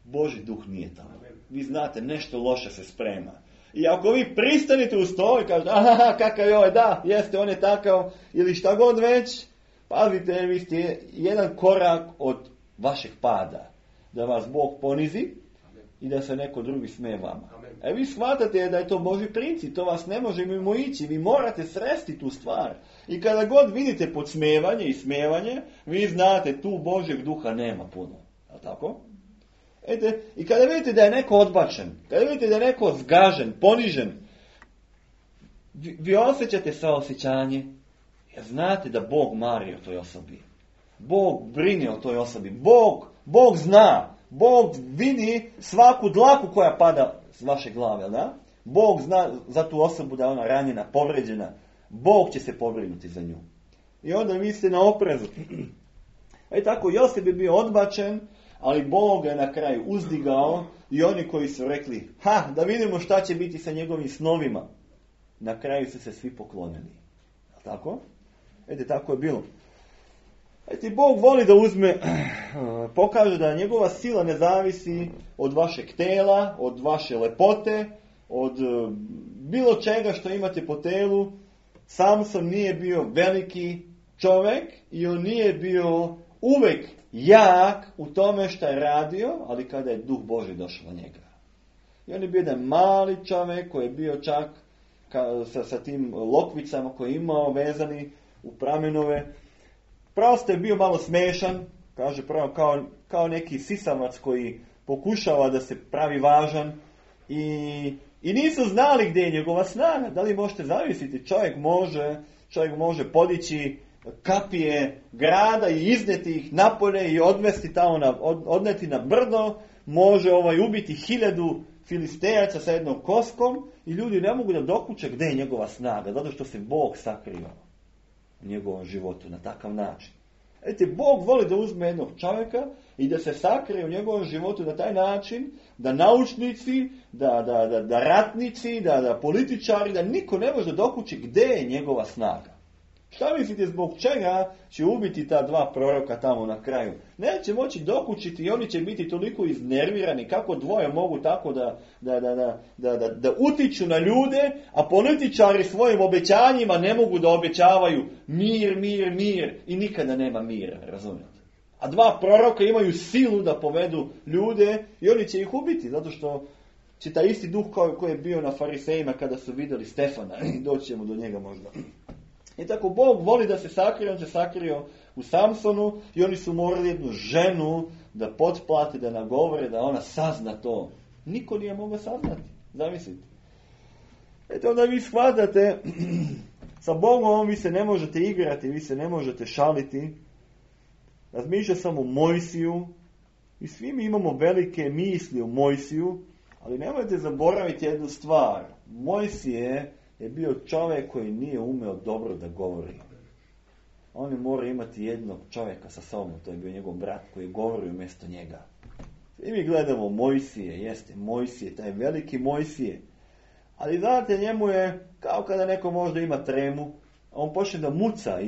A: Božji duh nije tamo. Vi znate, nešto loše se sprema. I ako vi pristanite uz to i kažete, aha, kakav je ovaj, da, jeste, on je takav, ili šta god već, pazite, vi ste jedan korak od vašeg pada. da vas Bog ponizi i da se neko drugi smeje vama. Vi shvatate da je to Božji princip, to vas ne može mimo ići, vi morate sresti tu stvar. I kada god vidite podsmevanje i smevanje, vi znate tu Božjeg duha nema puno. A tako? I kada vidite da je neko odbačen, kada vidite da je neko zgažen, ponižen, vi osjećate saosjećanje, jer znate da Bog mari o toj osobi. Bog brine o toj osobi. Bog zna. Bog vidi svaku dlaku koja pada s vaše glave. Da? Bog zna za tu osobu da je ona ranjena, povređena. Bog će se pobrinuti za nju. I onda vi ste na oprezu. Tako Josip je bio odbačen, ali Bog je na kraju uzdigao i oni koji su rekli, da vidimo šta će biti sa njegovim snovima. Na kraju su se svi poklonili. Tako? Tako je bilo. Bog voli da uzme, pokaže da njegova sila ne zavisi od vašeg tela, od vaše lepote, od bilo čega što imate po telu. Samson nije bio veliki čovjek i on nije bio uvek jak u tome što je radio, ali kada je duh Božji došao na njega. I on je bio jedan mali čovjek koji je bio čak sa tim lokvicama koje je imao vezani u pramenove. Prosto je bio malo smešan, kaže pravo kao neki sisavac koji pokušava da se pravi važan i nisu znali gdje je njegova snaga. Da li možete zavisiti, čovjek može podići kapije grada i izneti ih napolje i odvesti tamo odneti na brdo, može ubiti 1000 filistejaca sa jednom koskom i ljudi ne mogu da dokuče gdje je njegova snaga, zato što se Bog sakrio u njegovom životu na takav način. Bog voli da uzme jednog čovjeka i da se sakrije u njegovom životu na taj način da naučnici, da ratnici, da političari, da niko ne može dokući gdje je njegova snaga. Šta mislite zbog čega će ubiti ta 2 proroka tamo na kraju? Neće moći dokučiti i oni će biti toliko iznervirani kako dvoje mogu tako da utiču na ljude, a političari svojim obećanjima ne mogu da obećavaju mir i nikada nema mira, razumijete? A 2 proroka imaju silu da povedu ljude i oni će ih ubiti, zato što će taj isti duh koji je bio na farisejima kada su vidjeli Stefana, doći ćemo do njega možda. I tako Bog voli da se sakrije, on se sakrio u Samsonu i oni su morali jednu ženu da potplate, da nagovore, da ona sazna to. Niko nije mogao saznati, zamislite. Onda vi shvatate, sa Bogom vi se ne možete igrati, vi se ne možete šaliti. Razmišlja sam o Mojsiju i svi mi imamo velike misli o Mojsiju, ali nemojte zaboraviti jednu stvar. Mojsije je bio čovjek koji nije umeo dobro da govori. On je morao imati jednog čovjeka sa sobom, to je bio njegov brat koji je govorio umjesto njega. I mi gledamo Mojsije, taj veliki Mojsije. Ali znate, njemu je kao kada neko možda ima tremu, on počne da muca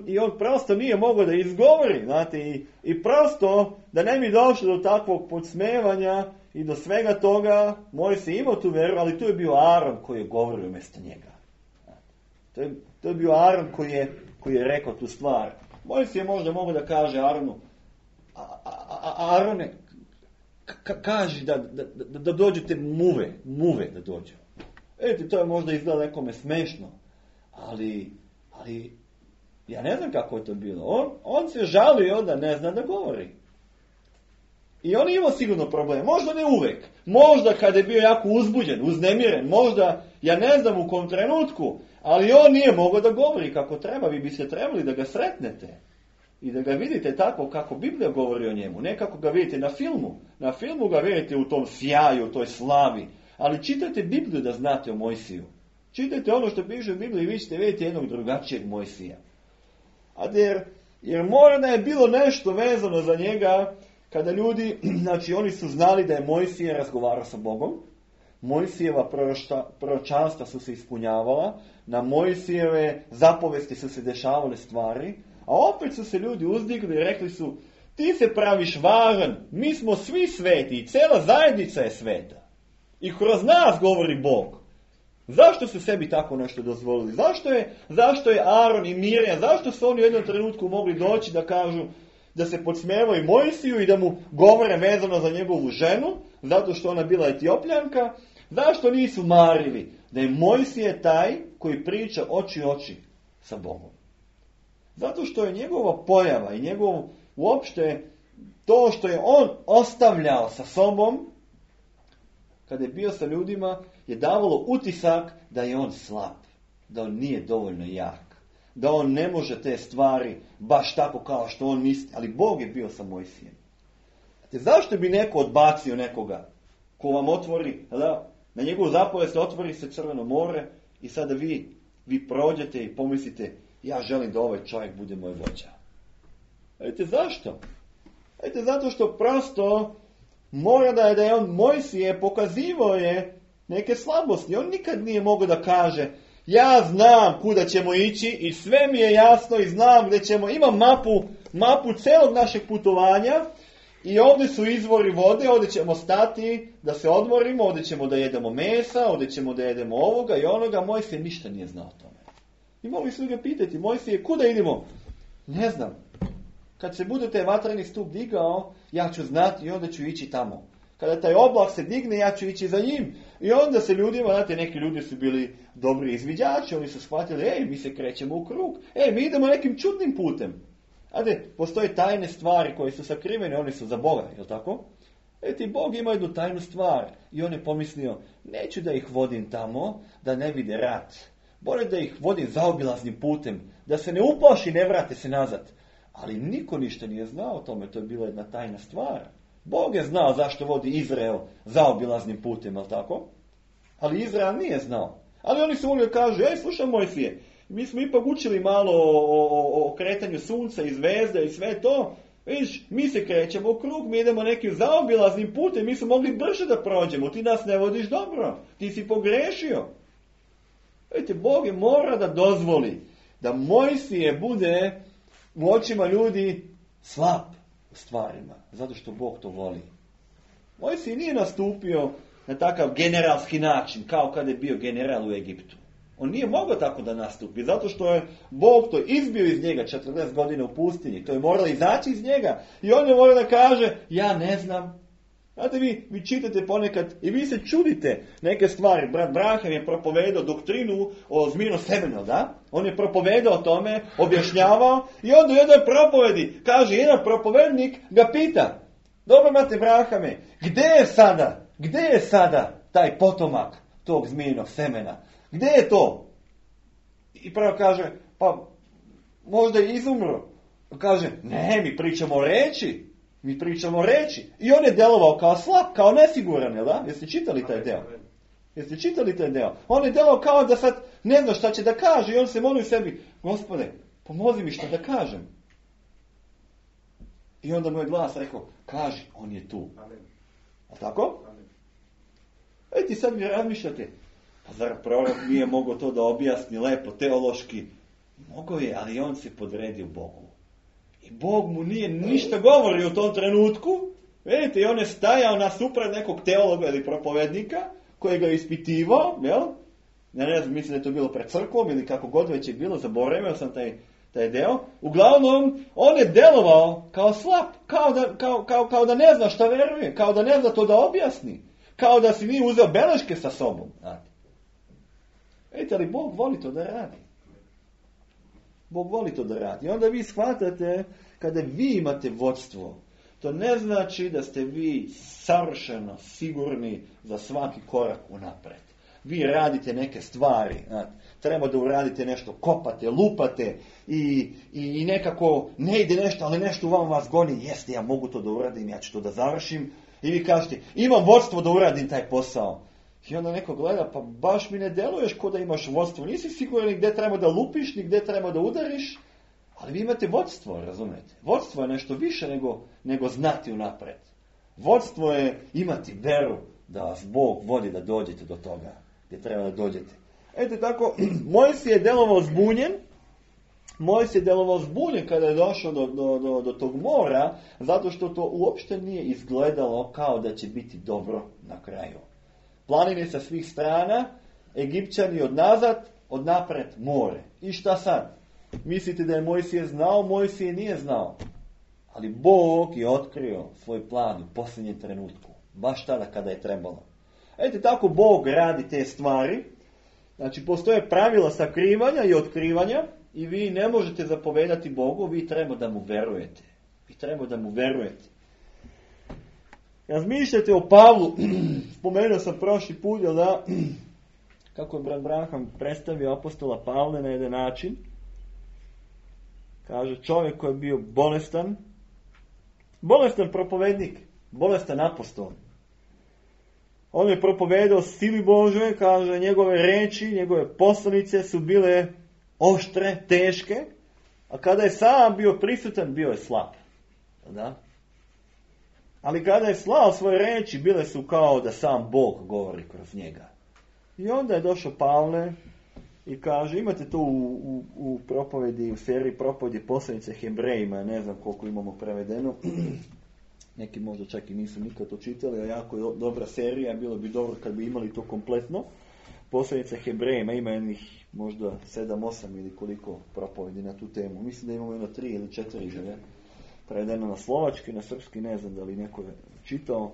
A: i on prosto nije mogao da izgovori, znate, i prosto da ne bi došlo do takvog podsmevanja i do svega toga, Mojsije imao tu veru, ali tu je bio Aron koji je govorio umjesto njega. To je bio Aron koji je rekao tu stvar. Mojsije možda mogao da kaže Aronu, Arone, kaži da dođete muve da dođu. To je možda izgleda nekome smešno, ali ja ne znam kako je to bilo. On se žalio da ne zna da govori. I on je imao sigurno problem. Možda ne uvek. Možda kada je bio jako uzbuđen, uznemiren. Možda, ja ne znam u kom trenutku. Ali on nije mogao da govori kako treba. Vi biste trebali da ga sretnete. I da ga vidite tako kako Biblija govori o njemu. Ne kako ga vidite na filmu. Na filmu ga vidite u tom sjaju, u toj slavi. Ali čitajte Bibliju da znate o Mojsiju. Čitajte ono što piše u Bibliji i vi ćete vidjeti jednog drugačijeg Mojsija. Jer mora da je bilo nešto vezano za njega. Kada ljudi, znači oni su znali da je Mojsije razgovarao sa Bogom, Mojsijeva proročanstva su se ispunjavala, na Mojsijeve zapovesti su se dešavale stvari, a opet su se ljudi uzdigli i rekli su, ti se praviš važan, mi smo svi sveti i cela zajednica je sveta. I kroz nas govori Bog. Zašto su sebi tako nešto dozvolili? Zašto je Aron i Mirjam, zašto su oni u jednom trenutku mogli doći da kažu, da se podsmijevaju Mojsiju i da mu govore vezano za njegovu ženu, zato što ona bila Etiopljanka. Zašto nisu marili da je Mojsije taj koji priča oči oči sa Bogom? Zato što je njegova pojava i njegov uopšte to što je on ostavljao sa sobom, kada je bio sa ljudima, je davalo utisak da je on slab, da on nije dovoljno jak, da on ne može te stvari baš tako kao što on misli, ali Bog je bio sa Mojsijem. Zašto bi neko odbacio nekoga ko vam otvori, da, na njegovu zapovijed se otvori se Crveno more i sada vi prođete i pomislite, ja želim da ovaj čovjek bude moj vođa. Vidite zašto? Vidite, zato što prosto mora da je on Mojsije pokazivao je neke slabosti. On nikad nije mogao da kaže, ja znam kuda ćemo ići i sve mi je jasno i znam gdje ćemo, imam mapu celog našeg putovanja i ovdje su izvori vode, ovdje ćemo stati da se odmorimo, ovdje ćemo da jedemo mesa, ovdje ćemo da jedemo ovoga i onoga. Mojsije ništa nije znao o tome. I mogli su ga pitati, Mojsije, kuda idemo? Ne znam. Kad se bude taj vatreni stup digao, ja ću znati i onda ću ići tamo. Kada taj oblak se digne, ja ću ići za njim. I onda se ljudima, znate, neki ljudi su bili dobri izviđači, oni su shvatili, mi se krećemo u krug, mi idemo nekim čudnim putem. Znate, postoje tajne stvari koje su sakrivene, one su za Boga, je li tako? Ti Bog ima jednu tajnu stvar i on je pomislio, neću da ih vodim tamo, da ne vide rat. Bolje da ih vodim zaobilaznim putem, da se ne uplaši, ne vrate se nazad. Ali niko ništa nije znao o tome, to je bila jedna tajna stvar. Bog je znao zašto vodi Izrael zaobilaznim putem, je li tako? Ali Izrael nije znao. Ali oni su uvijek kažu, slušaj Mojsije, mi smo ipak učili malo o kretanju sunca i zvezda i sve to. Viš, mi se krećemo u krug, mi idemo nekim zaobilaznim putem, mi smo mogli brže da prođemo, ti nas ne vodiš dobro, ti si pogrešio. Vidite, Bog je mora da dozvoli da Mojsije bude u očima ljudi slab u stvarima, zato što Bog to voli. Mojsije nije nastupio na takav generalski način, kao kada je bio general u Egiptu. On nije mogao tako da nastupi, zato što je Bog to izbio iz njega 40 godina u pustinji. To je moralo izaći iz njega. I on je morao da kaže, ja ne znam. Znate, vi čitate ponekad i vi se čudite neke stvari. Brat Branham je propovedao doktrinu o zmijenom semenu, da? On je propovedao o tome, objašnjavao i onda u jednoj propovedi, kaže, jedan propovednik ga pita, dobro, brate Branhame, gdje je sada taj potomak tog zmijenog semena? Gdje je to? I prvo kaže, pa možda je izumro. Kaže, ne, mi pričamo o reči. I on je delovao kao slab, kao nesiguran, jel da? Jeste čitali taj deo? On je delovao kao da sad ne zna šta će da kaže i on se moli sebi, Gospode, pomozi mi šta da kažem. I onda moj glas rekao, kaži, on je tu. A tako? Ti sad mi razmišljate, pa zar prorok nije mogao to da objasni lepo, teološki? Mogao je, ali on se podredio Bogu. I Bog mu nije ništa govorio u tom trenutku. Vidite, i on je stajao nasuprot nekog teologa ili propovednika koji ga je ispitivao, jel? Ja ne znam, mislim da je to bilo pred crkvom ili kako god već je bilo, zaboravio sam taj deo. Uglavnom, on je delovao kao slab, kao da ne zna šta veruje, kao da ne zna to da objasni, kao da si nije uzeo beleške sa sobom. Vidite, ali Bog voli to da radi. Bog voli to da radi. I onda vi shvatate, kada vi imate vodstvo, to ne znači da ste vi savršeno sigurni za svaki korak unapred. Vi radite neke stvari, treba da uradite nešto, kopate, lupate i nekako ne ide nešto, ali nešto u vama vas goni, jeste, ja mogu to da uradim, ja ću to da završim. I vi kažete, imam vodstvo da uradim taj posao. I onda neko gleda, pa baš mi ne deluješ ko da imaš vodstvo. Nisi siguran ni gdje treba da lupiš, ni gdje treba da udariš, ali vi imate vodstvo, razumete? Vodstvo je nešto više nego znati unapred. Vodstvo je imati veru da vas Bog vodi da dođete do toga gdje treba da dođete. Eto tako, Mojsije je delovao zbunjen kada je došao do tog mora, zato što to uopšte nije izgledalo kao da će biti dobro na kraju. Planine sa svih strana, Egipćani od nazad, od napred more. I šta sad? Mislite da je Mojsije znao? Mojsije nije znao. Ali Bog je otkrio svoj plan u posljednjem trenutku. Baš tada kada je trebalo. Eto, tako Bog radi te stvari. Znači, postoje pravila sakrivanja i otkrivanja i vi ne možete zapovedati Bogu, vi treba da mu verujete. Vi treba da mu verujete. Razmišljate o Pavlu, spomenuo sam prošli put, jel da, kako je brat Branham predstavio apostola Pavle na jedan način. Kaže, čovjek koji je bio bolestan propovednik, bolestan apostol. On je propovedao sili Božoj, kaže, njegove reči, njegove poslanice su bile oštre, teške, a kada je sam bio prisutan, bio je slab. Da? Ali kada je slao svoje reči, bile su kao da sam Bog govori kroz njega. I onda je došao Pavle i kaže, imate to u propovedi, u seriji propovedi poslanice Hebrejima, ne znam koliko imamo prevedeno, neki možda čak i nisu nikad to čitali, a jako je dobra serija, bilo bi dobro kad bi imali to kompletno. Poslanice Hebrejima ima jednih možda 7-8 ili koliko propovedi na tu temu. Mislim da imamo jedno 3 ili 4 želje. Prevedeno na slovački, na srpski, ne znam da li neko je čitao.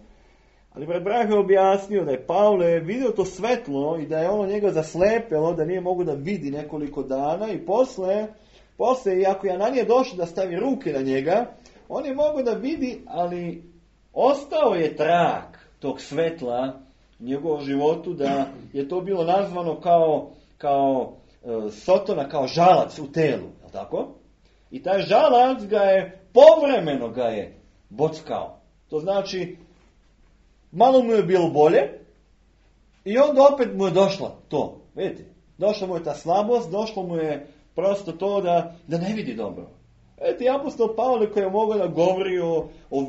A: Ali brat Branham je objasnio da je Pavle vidio to svetlo i da je ono njega zaslepelo, da nije mogo da vidi nekoliko dana i posle iako je Ananija došao da stavi ruke na njega, on je mogao da vidi, ali ostao je trag tog svetla u njegovom životu, da je to bilo nazvano kao sotona, kao žalac u telu, je li tako? I taj žalac povremeno ga je bockao. To znači, malo mu je bilo bolje i onda opet mu je došla to. Vidite, došla mu je ta slabost, došlo mu je prosto to da ne vidi dobro. Vidite, apostol Pavle koji je mogao da govori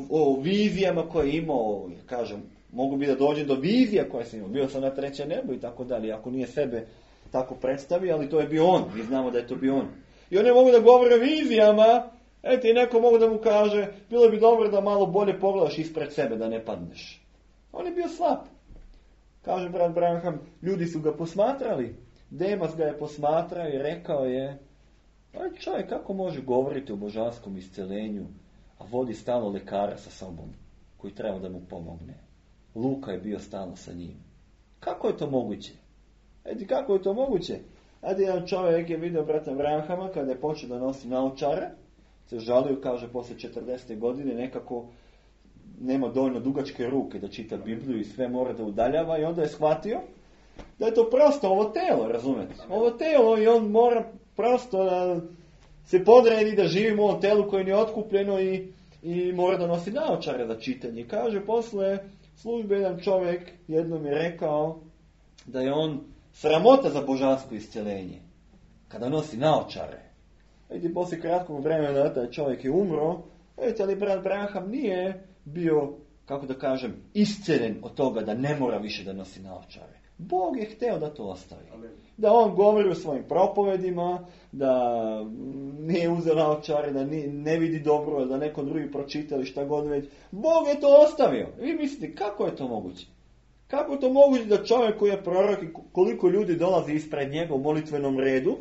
A: o vizijama koje je imao, kažem, mogu bi da dođe do vizija koje sam imao, bio sam na treće nebo i tako dalje, ako nije sebe tako predstavio, ali to je bio on, mi znamo da je to bio on. I on je mogu da govori o vizijama, i neko mogu da mu kaže, bilo bi dobro da malo bolje pogledaš ispred sebe, da ne padneš. On je bio slab. Kaže brat Branham, ljudi su ga posmatrali. Demas ga je posmatrao i rekao je, čovjek kako može govoriti o božanskom iscelenju, a vodi stalno lekara sa sobom, koji treba da mu pomogne. Luka je bio stalno sa njim. Kako je to moguće? Kako je to moguće? Jedan čovjek je vidio brata Branhama kada je počeo da nosi naočare, se žalio, kaže, posle 40. godine nekako nema dovoljno dugačke ruke da čita Bibliju i sve mora da udaljava i onda je shvatio da je to prosto ovo telo, razumete? Ovo telo i on mora prosto da se podredi da živi u ovom telu koje nije otkupljeno i mora da nosi naočare za čitanje. Kaže, posle službe jedan čovjek jednom je rekao da je on sramota za božansko isceljenje kada nosi naočare. Poslije kratkog vremena taj čovjek je umro, ali brat Branham nije bio, kako da kažem, isceljen od toga da ne mora više da nosi naočare. Bog je hteo da to ostavi. Amen. Da on govori o svojim propovedima, da nije uzeo naočare, da ne vidi dobro, da neko drugi pročita ili šta god već. Bog je to ostavio. Vi mislite, kako je to moguće? Kako je to moguće da čovjek koji je prorok i koliko ljudi dolazi ispred njega u molitvenom redu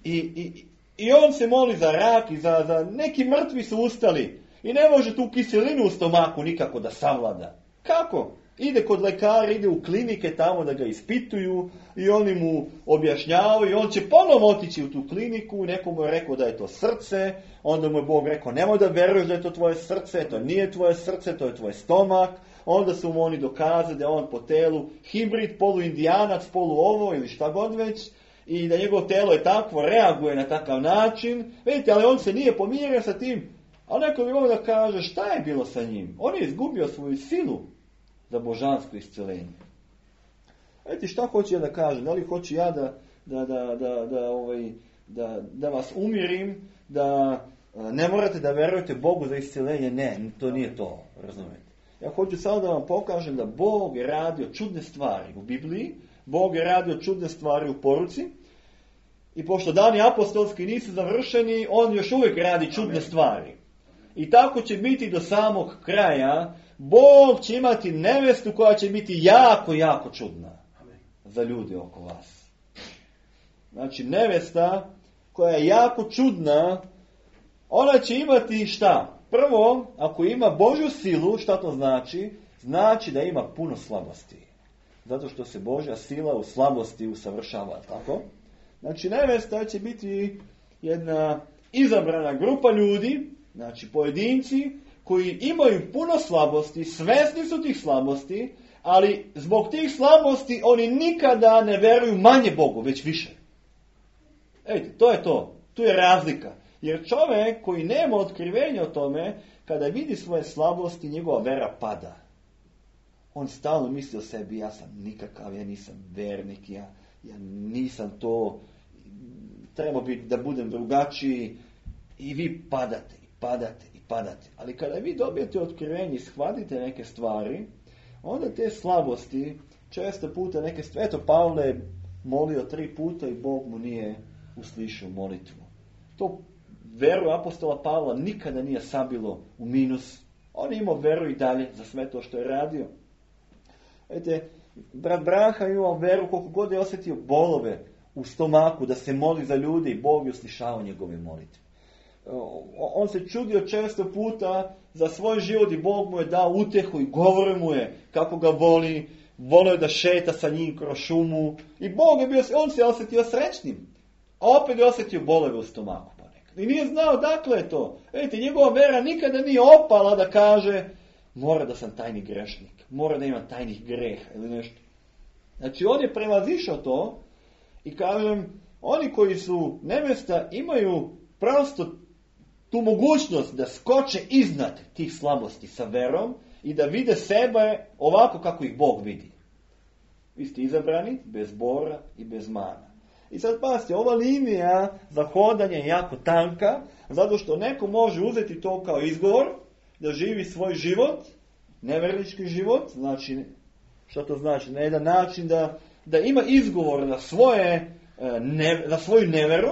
A: i on se moli za rak i za neki mrtvi su ustali i ne može tu kiselinu u stomaku nikako da savlada. Kako? Ide kod lekara, ide u klinike tamo da ga ispituju i oni mu objašnjavaju i on će ponovo otići u tu kliniku, neko mu je rekao da je to srce, onda mu je Bog rekao nemoj da veruješ da je to tvoje srce, to nije tvoje srce, to je tvoj stomak, onda su mu oni dokazali da je on po telu hibrid, poluindijanac, polu ovo ili šta god već i da njegovo telo je takvo, reaguje na takav način, vidite, ali on se nije pomirio sa tim, a neko bi mogao da kaže šta je bilo sa njim, on je izgubio svoju silu za božansko isceljenje. Vidite, šta hoću ja da kažem? Da li hoću ja da vas umirim, da ne morate da verujete Bogu za isceljenje? Ne, to nije to, razumijete. Ja hoću samo da vam pokažem da Bog je radio čudne stvari u Bibliji, Bog je radio čudne stvari u poruci i pošto dani apostolski nisu završeni, on još uvijek radi čudne stvari. I tako će biti do samog kraja. Bog će imati nevestu koja će biti jako, jako čudna za ljude oko vas. Znači, nevesta koja je jako čudna, ona će imati šta?
B: Prvo, ako ima Božju silu, šta to znači? Znači da ima puno slabosti. Zato što se Božja sila u slabosti usavršava, tako? Znači, nevesta će biti jedna izabrana grupa ljudi, znači pojedinci, koji imaju puno slabosti, svesni su tih slabosti, ali zbog tih slabosti oni nikada ne veruju manje Bogu, već više. Vidite, to je to. Tu je razlika. Jer čovjek koji nema otkrivenja o tome, kada vidi svoje slabosti, njegova vera pada. On stalno misli o sebi, ja sam nikakav, ja nisam vernik, ja nisam to, treba biti da budem drugačiji. I vi padate, i padate, i padate. Ali kada vi dobijete otkrivenje i shvatite neke stvari, onda te slabosti, često puta neke stvari, eto Pavle je molio 3 puta i Bog mu nije uslišao molitvu. To veru apostola Pavla nikada nije sabilo u minus. On je imao veru i dalje za sve to što je radio. Vidite, brat Braha imao veru koliko god je osjetio bolove u stomaku, da se moli za ljudi i Bog je uslišao njegove molitve. On se čudio često puta za svoj život i Bog mu je dao utjehu i govore mu je kako ga voli, volio da šeta sa njim kroz šumu i Bog je bio, on se osjetio srećnim, a opet je osjetio bolove u stomaku ponekad. I nije znao dakle je to. Vidite, njegova vera nikada nije opala da kaže mora da sam tajni grešnik, mora da imam tajnih greha ili nešto. Znači on je prevazišao to i kažem, oni koji su nevesta imaju prosto tu mogućnost da skoče iznad tih slabosti sa verom i da vide sebe ovako kako ih Bog vidi. Vi ste izabrani bez bora i bez mana. I sad pazite, ova linija za hodanje je jako tanka, zato što neko može uzeti to kao izgovor da živi svoj život, nevernički život, znači, što to znači? Na jedan način da ima izgovor na svoju neveru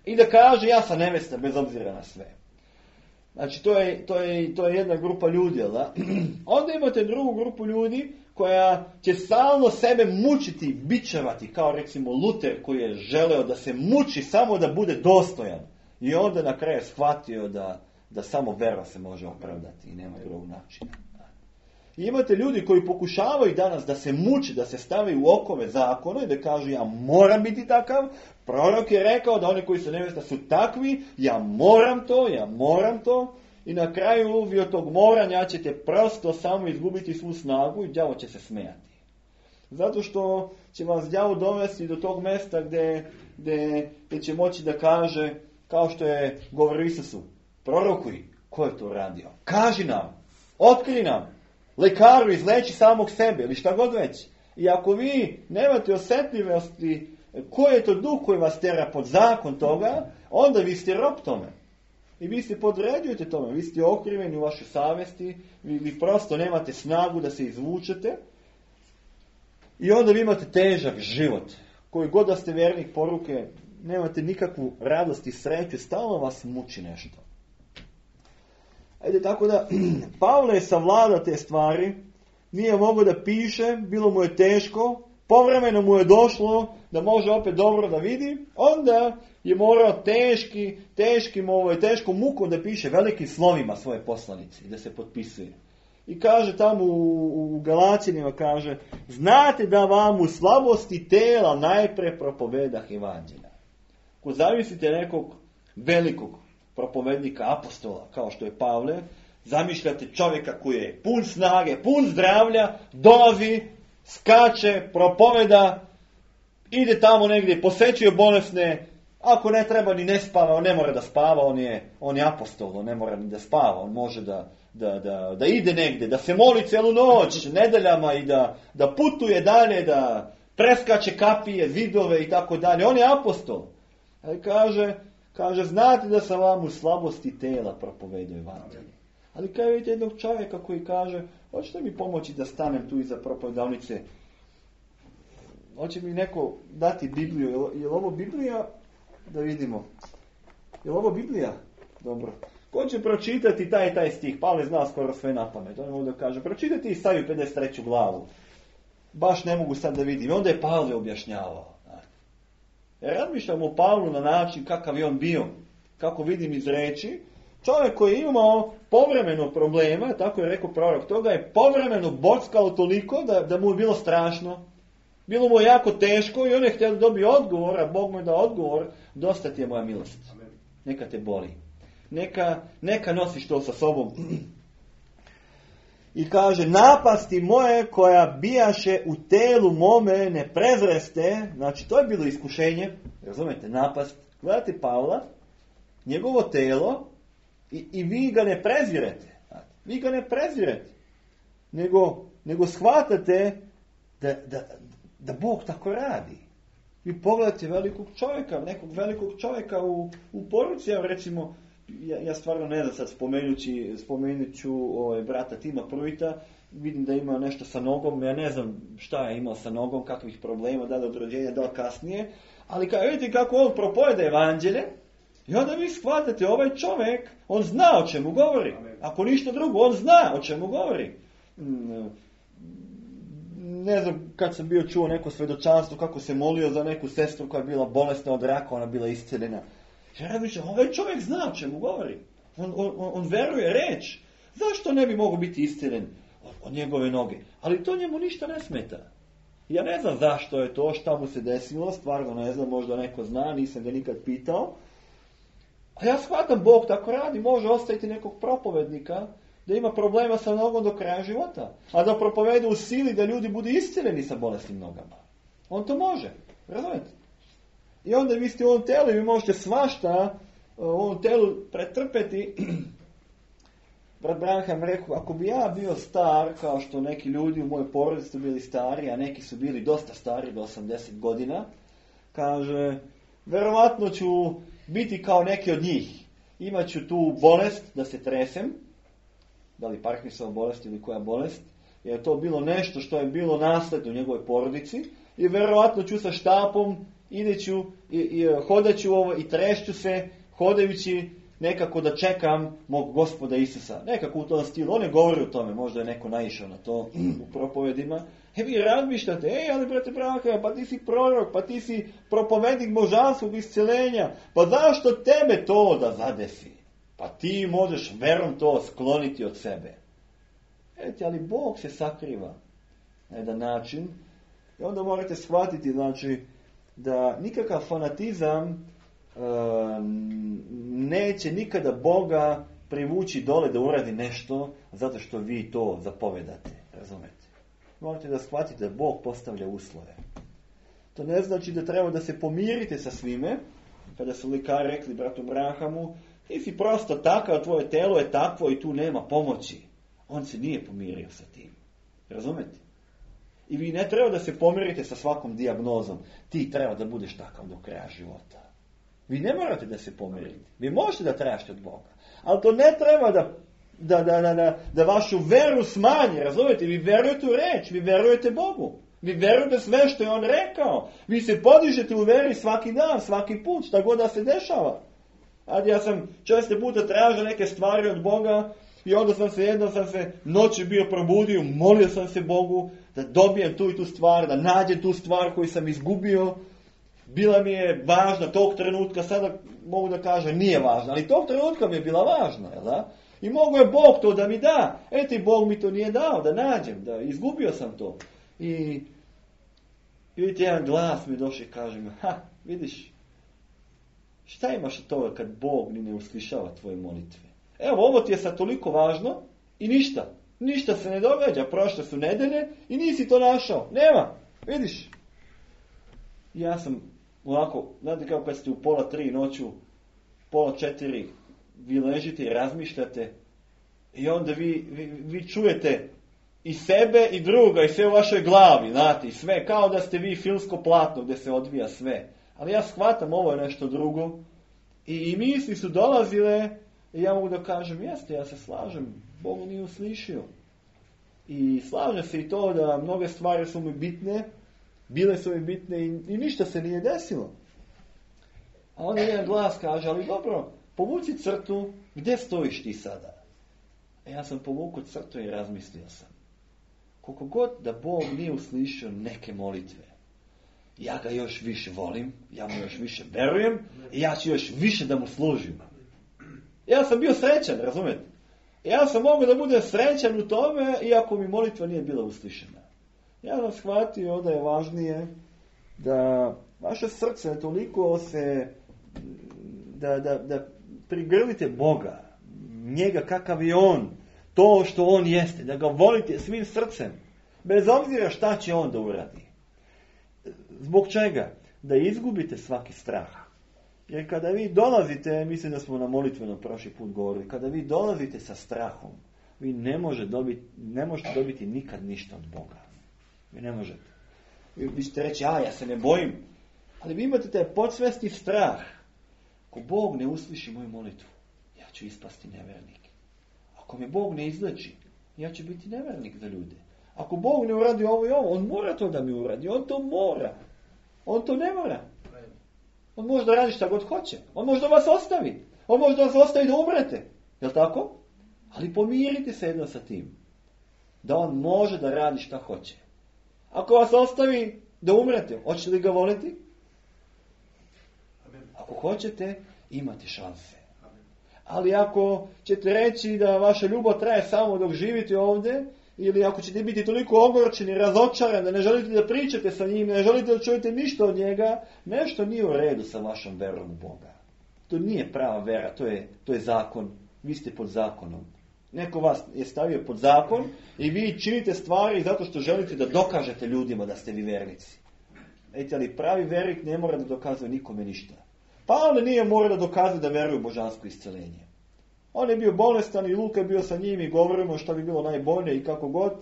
B: i da kaže ja sam nevesta bez obzira na sve. Znači, to je jedna grupa ljudi, jel da? Onda imate drugu grupu ljudi koja će stalno sebe mučiti, bičevati, kao recimo Luter koji je želeo da se muči samo da bude dostojan. I onda na kraju shvatio da samo vera se može opravdati i nema drugog načina. I imate ljudi koji pokušavaju danas da se muči, da se stavi u okove zakona i da kažu ja moram biti takav. Prorok je rekao da oni koji su nevesta su takvi, ja moram to. I na kraju vi od tog moranja ćete prosto samo izgubiti svu snagu i đavo će se smijati. Zato što će vas đavo dovesti do tog mjesta gdje će moći da kaže, kao što je govorio Isusu, prorokuj, ko je to radio? Kaži nam, otkri nam, lekaru izleči samog sebe ili šta god već. I ako vi nemate osjetljivosti koji je to duh koji vas tera pod zakon toga, onda vi ste rob tome. I vi se podređujete tome, vi ste okriveni u vašoj savjesti, vi prosto nemate snagu da se izvučete. I onda vi imate težak život. Koji god da ste vjernik poruke, nemate nikakvu radost i sreću, stalno vas muči nešto. Ajde, tako da, Pavle je savladao te stvari, nije mogao da piše, bilo mu je teško, povremeno mu je došlo da može opet dobro da vidi, onda je morao teškom mukom da piše velikim slovima svoje poslanice i da se potpisuje. I kaže tamo u Galaćanima, kaže, znate da vam u slabosti tela najpre propovedah evanđelja. Ako zamislite nekog velikog propovednika apostola, kao što je Pavle, zamišljate čovjeka koji je pun snage, pun zdravlja, dolazi, skače, propoveda, ide tamo negdje, posjećuje bolesne, ako ne treba ni ne spava, on ne mora da spava, on je apostol, on ne mora ni da spava, on može da ide negdje, da se moli cijelu noć, nedeljama i da putuje dalje, da preskače kapije, zidove i tako dalje. On je apostol. Kaže, znate da sam vam u slabosti tela propovedao evanđelje. Ali kao vidite jednog čovjeka koji kaže, hoćete mi pomoći da stanem tu iza propovedavnice? Hoće mi neko dati Bibliju? Je li ovo Biblija? Da vidimo. Je li ovo Biblija? Dobro. Ko će pročitati taj stih? Pavle zna skoro sve na pamet. On ovdje kaže, pročitati Isaju 53. glavu. Baš ne mogu sad da vidim. I onda je Pavle objašnjavao. Razmišljam o Pavlu na način kakav je on bio. Kako vidim iz reči. Čovjek koji je imao povremeno problema, tako je rekao prorok, toga je povremeno bockalo toliko da mu je bilo strašno. Bilo mu je jako teško i on je htio da dobije odgovor, a Bog mu je dao odgovor, dosta ti je moja milost. Neka te boli. Neka nosiš to sa sobom. I kaže, napasti moje koja bijaše u telu mome ne prezreste. Znači, to je bilo iskušenje. Razumete, napast. Gledajte Pavla, njegovo telo i vi ga ne prezirete. Vi ga ne prezirete. Nego shvatate da Bog tako radi. Vi pogledajte velikog čovjeka, nekog velikog čovjeka u poruci, ja recimo, ja stvarno ne znam sad spomenut ću brata Tima Pruita, vidim da ima nešto sa nogom, ja ne znam šta je imao sa nogom, kakvih problema, da li od rođenja, da li kasnije, ali vidite kako on propoveda evanđelje, i onda vi shvatate, ovaj čovjek, on zna o čemu govori. Ako ništa drugo, on zna o čemu govori. Ne znam, kad sam bio čuo neko svjedočanstvo, kako se molio za neku sestru koja je bila bolesna od raka, ona bila iscijeljena. Ja razmišljam, ovaj čovjek zna o čemu govori. On veruje reč. Zašto ne bi mogao biti iscijeljen od njegove noge? Ali to njemu ništa ne smeta. Ja ne znam zašto je to, šta mu se desilo, stvarno ne znam, možda neko zna, nisam ga nikad pitao. A ja shvatam, Bog tako radi, može ostaviti nekog propovednika da ima problema sa nogom do kraja života, a da propovede u sili da ljudi budu iscijeljeni sa bolesnim nogama. On to može, razumijete? I onda vi ste u ovom telu i vi možete svašta u ovom telu pretrpeti. Brat Branham rekao, ako bi ja bio star, kao što neki ljudi u mojoj porodici su bili stari, a neki su bili dosta stari, do 80 godina, kaže, verovatno ću biti kao neki od njih. Imaću tu bolest da se tresem, da li Parkinsonova bolest ili koja bolest, jer je to bilo nešto što je bilo nasledno u njegovoj porodici, i verovatno ću sa štapom, ideću i hodaću i trešću se, hodajući nekako da čekam mog Gospoda Isusa. Nekako u tom stilu. On ne govori o tome, možda je neko naišao na to u propovedima. Vi razmišljate, ali brate Branham, pa ti si prorok, pa ti si propovednik božanskog isceljenja, pa zašto tebe to da zadesi? Pa ti možeš verom to skloniti od sebe. Ali Bog se sakriva na jedan način i onda morate shvatiti, znači, da nikakav fanatizam neće nikada Boga privući dole da uradi nešto zato što vi to zapovedate. Razumete? Morate da shvatite da Bog postavlja uslove. To ne znači da treba da se pomirite sa svime. Kada su lekari rekli bratu Branhamu, ti si prosto takav, tvoje telo je takvo i tu nema pomoći. On se nije pomirio sa tim. Razumete? I vi ne treba da se pomirite sa svakom dijagnozom. Ti treba da budeš takav do kraja života. Vi ne morate da se pomirite. Vi možete da tražite od Boga. Ali to ne treba da vašu veru smanji. Razumete? Vi verujete u reč. Vi verujete Bogu. Vi verujete sve što je On rekao. Vi se podižete u veri svaki dan, svaki put, šta god da se dešava. Ja sam često puta tražio neke stvari od Boga i onda jednom sam se noći bio probudio, molio sam se Bogu da dobijem tu i tu stvar, da nađem tu stvar koju sam izgubio. Bila mi je važna tog trenutka, sada mogu da kažem nije važna, ali tog trenutka mi je bila važna, jel da? I mogo je Bog to da mi da. Bog mi to nije dao, da nađem, da izgubio sam to. I vidite, jedan glas mi došao i kaže mi, vidiš, šta imaš od toga kad Bog ni ne uslišava tvoje molitve? Evo, ovo ti je sad toliko važno i ništa se ne događa, prošle su nedelje i nisi to našao. Nema, vidiš. Ja sam ovako, znate kao kad ste u 2:30 noću, 3:30, vi ležite i razmišljate i onda vi čujete i sebe i druga i sve u vašoj glavi, znate, i sve kao da ste vi filmsko platno gdje se odvija sve. Ali ja shvatam, ovo je nešto drugo i misli su dolazile i ja mogu da kažem, jeste, ja se slažem, Bog nije uslišio. I slažem se i to da mnoge stvari su mi bitne, bile su mi bitne i ništa se nije desilo. A onda jedan glas kaže, ali dobro, povuci crtu, gdje stojiš ti sada? Ja sam povukao crtu i razmislio sam. Koliko god da Bog nije uslišio neke molitve, ja ga još više volim, ja mu još više verujem i ja ću još više da mu služim. Ja sam bio srećan, razumijete? Ja sam mogao da budem srećan u tome, iako mi molitva nije bila uslišena. Ja sam shvatio da je važnije da vaše srce toliko da prigrlite Boga, njega kakav je on, to što on jeste, da ga volite svim srcem, bez obzira šta će on da uradi. Zbog čega? Da izgubite svaki strah. Jer kada vi dolazite, mislim da smo na molitvenom prošli put govorili, kada vi dolazite sa strahom, vi ne možete dobiti nikad ništa od Boga. Vi ne možete. Vi ćete reći, ja se ne bojim. Ali vi imate taj podsvesni strah. Ako Bog ne usliši moju molitvu, ja ću ispasti nevernik. Ako me Bog ne izleči, ja ću biti nevernik za ljude. Ako Bog ne uradi ovo i ovo, on mora to da mi uradi. On to mora. On to ne mora. On može da radi šta god hoće. On može da vas ostavi. On može da vas ostavi da umrete. Jel' tako? Ali pomirite se jedno sa tim. Da on može da radi šta hoće. Ako vas ostavi da umrete, hoćete li ga voliti? Ako hoćete, imate šanse. Ali ako ćete reći da vaša ljubav traje samo dok živite ovdje, ili ako ćete biti toliko ogorčeni, razočarani, da ne želite da pričate sa njim, ne želite da čujete ništa od njega, nešto nije u redu sa vašom verom u Boga. To nije prava vera, to je zakon. Vi ste pod zakonom. Neko vas je stavio pod zakon i vi činite stvari zato što želite da dokažete ljudima da ste vi vernici. Ali pravi vernik ne mora da dokazuje nikome ništa. Pavle nije morao da dokazuje da veruje u božansko isceljenje. On je bio bolestan i Luka je bio sa njim i govorimo što bi bilo najbolje i kako god.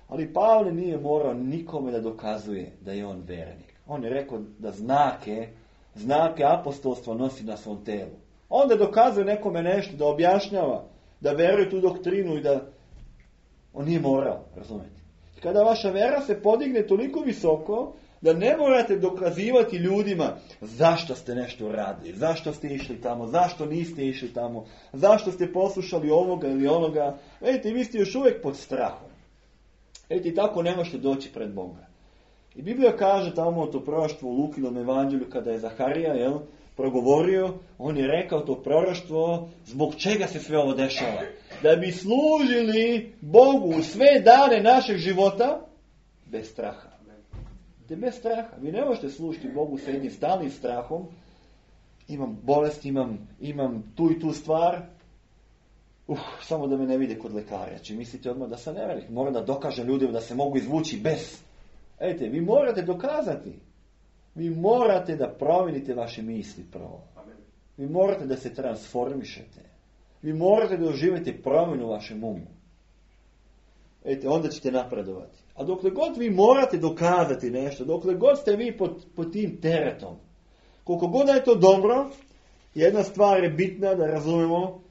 B: Ali Pavle nije morao nikome da dokazuje da je on vernik. On je rekao da znake apostolstva nosi na svom telu. Onda dokazuje nekome nešto, da objašnjava, da veruje tu doktrinu i da on nije morao, razumijete. Kada vaša vera se podigne toliko visoko, da ne morate dokazivati ljudima zašto ste nešto radili, zašto ste išli tamo, zašto niste išli tamo, zašto ste poslušali ovoga ili onoga. Vidite, vi ste još uvijek pod strahom. Vidite, tako ne možete doći pred Boga. I Biblija kaže tamo o to proroštvo u Lukinom evanđelju, kada je Zaharija progovorio, on je rekao to proroštvo, zbog čega se sve ovo dešava. Da bi služili Bogu sve dane našeg života bez straha. Bez straha. Vi ne možete služiti Bogu sa jednim stalnim strahom. Imam bolest, imam tu i tu stvar. Samo da me ne vide kod lekara. Či mislite odmah da sam nevernik. Moram da dokažem ljudima da se mogu izvući bez. Ejte, vi morate dokazati. Vi morate da promijenite vaše misli prvo. Vi morate da se transformišete. Vi morate da doživite promjenu u vašem umu. Ejte, onda ćete napredovati. A dokle god vi morate dokazati nešto, dokle god ste vi pod tim teretom, koliko god je to dobro, jedna stvar je bitna da razumemo,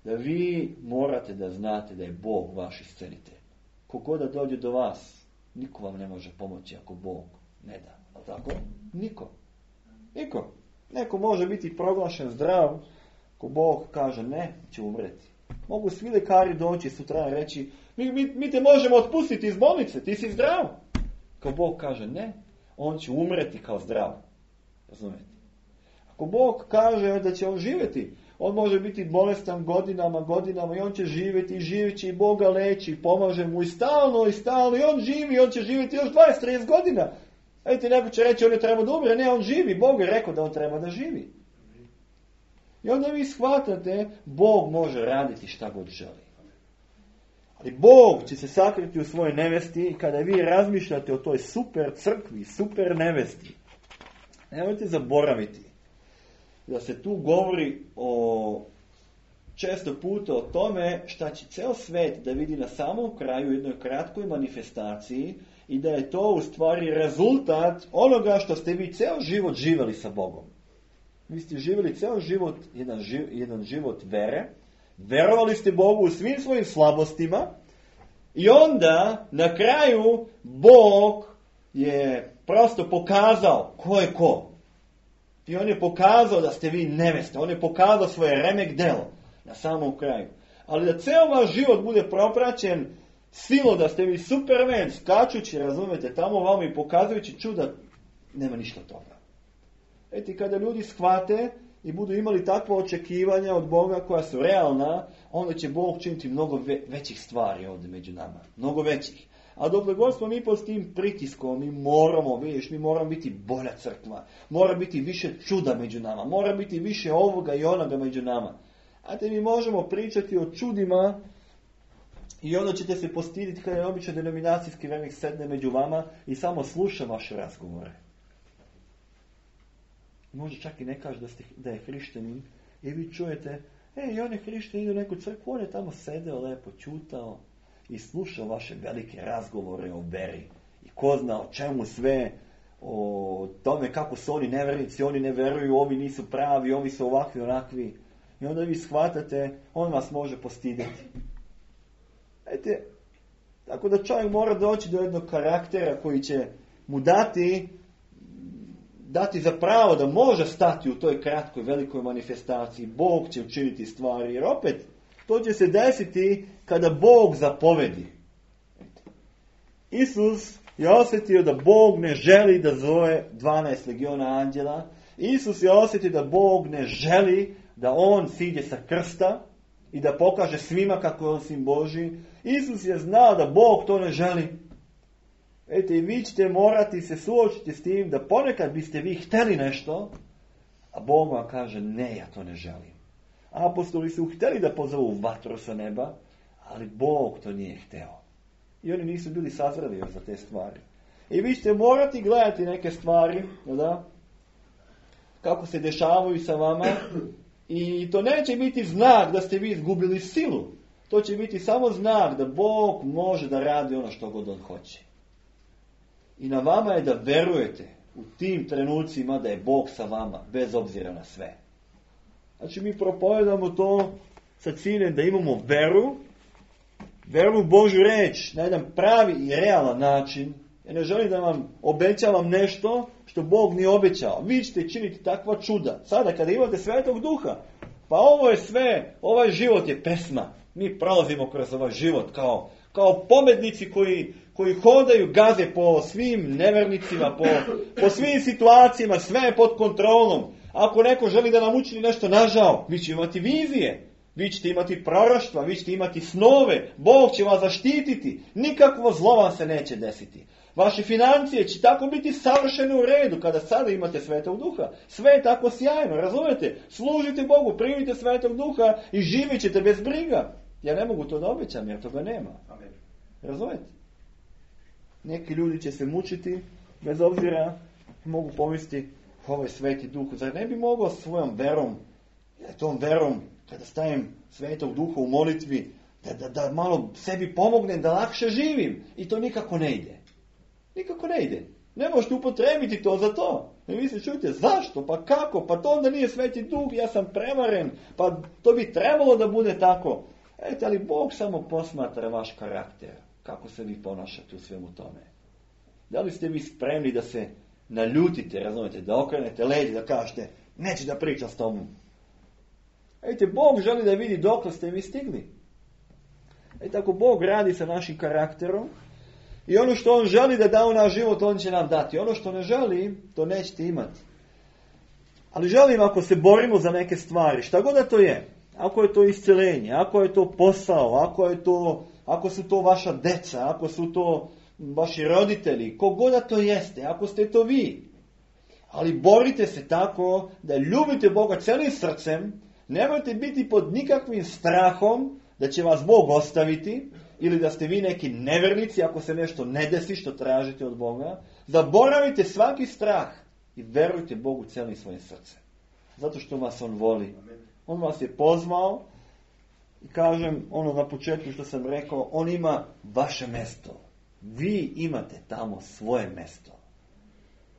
B: da vi morate da znate da je Bog vaš iscelitelj. Koliko god da dođe do vas, niko vam ne može pomoći ako Bog ne da. A tako? Niko. Neko može biti proglašen zdrav, ako Bog kaže ne, će umreti. Mogu svi lekari doći sutra i reći, mi te možemo otpustiti iz bolnice, ti si zdrav. Ako Bog kaže ne, on će umreti kao zdrav. Razumijete? Ako Bog kaže da će on živjeti, on može biti bolestan godinama i on će živjeti i živjet će i Boga leći i pomaže mu i stalno i on živi i on će živjeti još 20-30 godina. Vidite, neko će reći on je treba da umre, ne, on živi, Bog je rekao da on treba da živi. I onda vi shvatate, Bog može raditi šta god želi. Ali Bog će se sakriti u svojoj nevesti i kada vi razmišljate o toj super crkvi, super nevesti, nemojte zaboraviti da se tu govori često puta o tome šta će ceo svet da vidi na samom kraju u jednoj kratkoj manifestaciji i da je to u stvari rezultat onoga što ste vi ceo život živjeli sa Bogom. Vi ste živjeli ceo život, jedan život vere, verovali ste Bogu u svim svojim slabostima i onda na kraju Bog je prosto pokazao ko je ko. I on je pokazao da ste vi neveste, on je pokazao svoje remek delo na samom kraju. Ali da ceo vaš život bude propraćen silom da ste vi supermen, skačući, razumete, tamo vama i pokazujući čuda, nema ništa toga. Eti, kada ljudi shvate i budu imali takva očekivanja od Boga koja su realna, onda će Bog činiti mnogo većih stvari ovdje među nama. Mnogo većih. A dokle god smo mi pod tim pritiskom, mi moramo biti bolja crkva. Mora biti više čuda među nama. Mora biti više ovoga i onoga među nama. A te mi možemo pričati o čudima i onda ćete se postiditi kada je obično denominacijski vjernik sedne među vama i samo sluša vaše razgovore. Možda čak i ne kaže da je hrišćanin i vi čujete, i on je hrišćanin, ide u neku crkvu, on je tamo sedeo, lepo čutao i slušao vaše velike razgovore o veri. I ko zna o čemu sve, o tome kako su oni nevjernici, oni ne veruju, ovi nisu pravi, ovi su ovakvi, onakvi. I onda vi shvatate, on vas može postiditi. Tako da čovjek mora doći do jednog karaktera koji će mu dati za pravo da može stati u toj kratkoj velikoj manifestaciji. Bog će učiniti stvari, jer opet to će se desiti kada Bog zapovedi. Isus je osjetio da Bog ne želi da zove 12 legiona anđela. Isus je osjetio da Bog ne želi da on siđe sa krsta i da pokaže svima kako je on sin Božji. Isus je znao da Bog to ne želi. I vi ćete morati se suočiti s tim da ponekad biste vi htjeli nešto, a Bog vam kaže ne, ja to ne želim. Apostoli su htjeli da pozovu vatru sa neba, ali Bog to nije htio. I oni nisu bili sazreli za te stvari. I vi ćete morati gledati neke stvari, da? Kako se dešavaju sa vama. I to neće biti znak da ste vi izgubili silu. To će biti samo znak da Bog može da radi ono što god on hoće. I na vama je da verujete u tim trenucima da je Bog sa vama, bez obzira na sve. Znači mi propovedamo to sa ciljem da imamo veru u Božju reč na jedan pravi i realan način. Ja ne želim da vam obećavam nešto što Bog nije obećao. Vi ćete činiti takva čuda. Sada kada imate Svetog Duha, pa ovo je sve, ovaj život je pesma. Mi prolazimo kroz ovaj život kao pobednici koji hodaju, gaze po svim nevernicima, po svim situacijama, sve je pod kontrolom. Ako neko želi da nam učini nešto nažao, vi ćete imati vizije, vi ćete imati proroštva, vi ćete imati snove, Bog će vas zaštititi, nikakvo zlo vam se neće desiti. Vaše financije će tako biti savršene u redu kada sada imate Svetog Duha. Sve je tako sjajno, razumete? Služite Bogu, primite Svetog Duha i živjet ćete bez briga. Ja ne mogu to da obećam jer toga nema.
C: Amen.
B: Razumete? Neki ljudi će se mučiti, bez obzira mogu pomisliti, ovaj Sveti Duh, zar ne bi mogao svojom verom, tom verom, kada stavim Svetog Duha u molitvi, da malo sebi pomognem, da lakše živim. I to nikako ne ide. Nikako ne ide. Ne možete upotrebiti to za to. I vi se čujete, zašto? Pa kako? Pa to onda nije Sveti Duh, ja sam prevaren. Pa to bi trebalo da bude tako. Ali Bog samo posmatra vaš karakter. Kako se vi ponašate u svemu tome. Da li ste vi spremni da se naljutite, razumete, da okrenete leđe, da kažete, neće da pričam s tobom. Bog želi da vidi dokle ste vi stigli. Tako Bog radi sa našim karakterom. I ono što on želi da da u naš život, on će nam dati. Ono što ne želi, to nećete imati. Ali želim, ako se borimo za neke stvari, šta god da to je, ako je to isceljenje, ako je to posao, ako su to vaša deca, ako su to vaši roditelji, kogod da to jeste, ako ste to vi. Ali borite se tako da ljubite Boga celim srcem, nemojte biti pod nikakvim strahom da će vas Bog ostaviti, ili da ste vi neki nevernici ako se nešto ne desi što tražite od Boga. Zaboravite svaki strah i verujte Bogu celim svojim srcem. Zato što vas on voli. On vas je pozvao i kažem ono na početku što sam rekao, on ima vaše mesto. Vi imate tamo svoje mesto.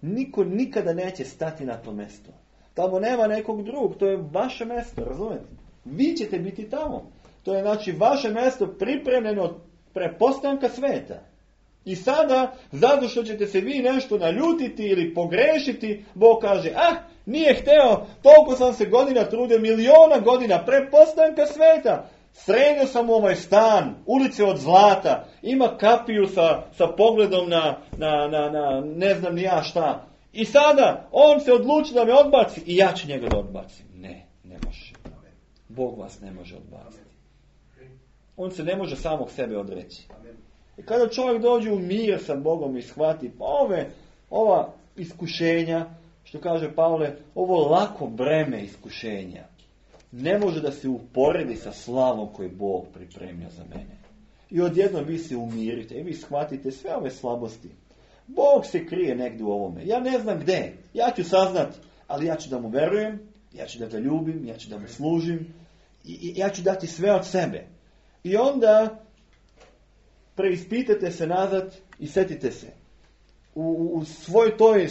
B: Niko nikada neće stati na to mesto. Tamo nema nekog drugog, to je vaše mesto, razumete? Vi ćete biti tamo. To je znači vaše mesto pripremljeno od prepostanka sveta. I sada, zato što ćete se vi nešto naljutiti ili pogrešiti, Bog kaže, nije hteo, toliko sam se godina trudio, miliona godina prepostanka sveta. Sredio sam ovaj stan, ulice od zlata, ima kapiju sa pogledom na ne znam ni ja šta. I sada, on se odluči da me odbaci i ja ću njega da odbacim. ne može. Bog vas ne može odbaciti. On se ne može samog sebe odreći. I kada čovjek dođe u mir sa Bogom i shvati ova iskušenja, što kaže Pavle, ovo lako breme iskušenja, ne može da se uporedi sa slavom koju Bog pripremio za mene. I odjednom vi se umirite i vi shvatite sve ove slabosti. Bog se krije negdje u ovome. Ja ne znam gdje. Ja ću saznat, ali ja ću da mu verujem, ja ću da ga ljubim, ja ću da mu služim i ja ću dati sve od sebe. I onda preispitajte se nazad i setite se. U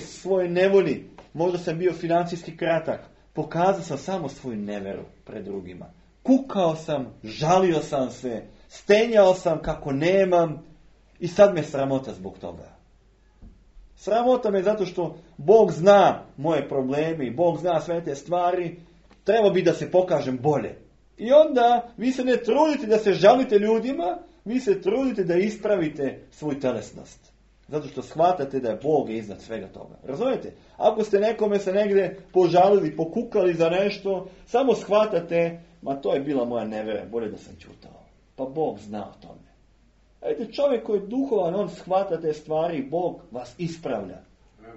B: svojoj nevolji, možda sam bio financijski kratak, pokazao sam samo svoju neveru pred drugima. Kukao sam, žalio sam se, stenjao sam kako nemam i sad me sramota zbog toga. Sramota me zato što Bog zna moje probleme i Bog zna sve te stvari, treba bi da se pokažem bolje. I onda vi se ne trudite da se žalite ljudima, vi se trudite da ispravite svoju telesnost. Zato što shvatate da je Bog iznad svega toga. Razumijete? Ako ste nekome se negdje požalili, pokukali za nešto, samo shvatate, ma to je bila moja nevera, bolje da sam ćutao. Pa Bog zna o tome. Vidite, čovjek koji je duhovan, on shvata te stvari i Bog vas ispravlja.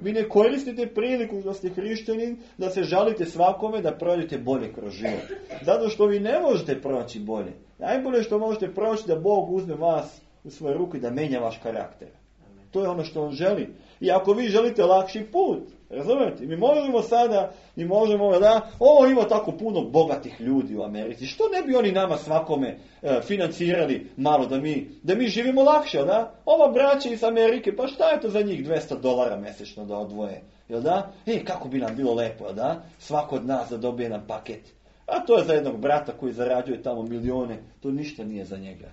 B: Vi ne koristite priliku da ste hrišćanin, da se žalite svakome, da prođete bolje kroz život. Zato što vi ne možete proći bolje. Najbolje što možete proći da Bog uzme vas u svoje ruke i da menja vaš karakter. To je ono što on želi. I ako vi želite lakši put, razumijete? Mi možemo da, ima tako puno bogatih ljudi u Americi. Što ne bi oni nama svakome financirali malo da mi živimo lakše, da? Ova braća iz Amerike, pa šta je to za njih $200 mjesečno da odvoje? Jel da? Kako bi nam bilo lepo, jel da? Svako od nas da dobije nam paket. A to je za jednog brata koji zarađuje tamo milijone. To ništa nije za njega.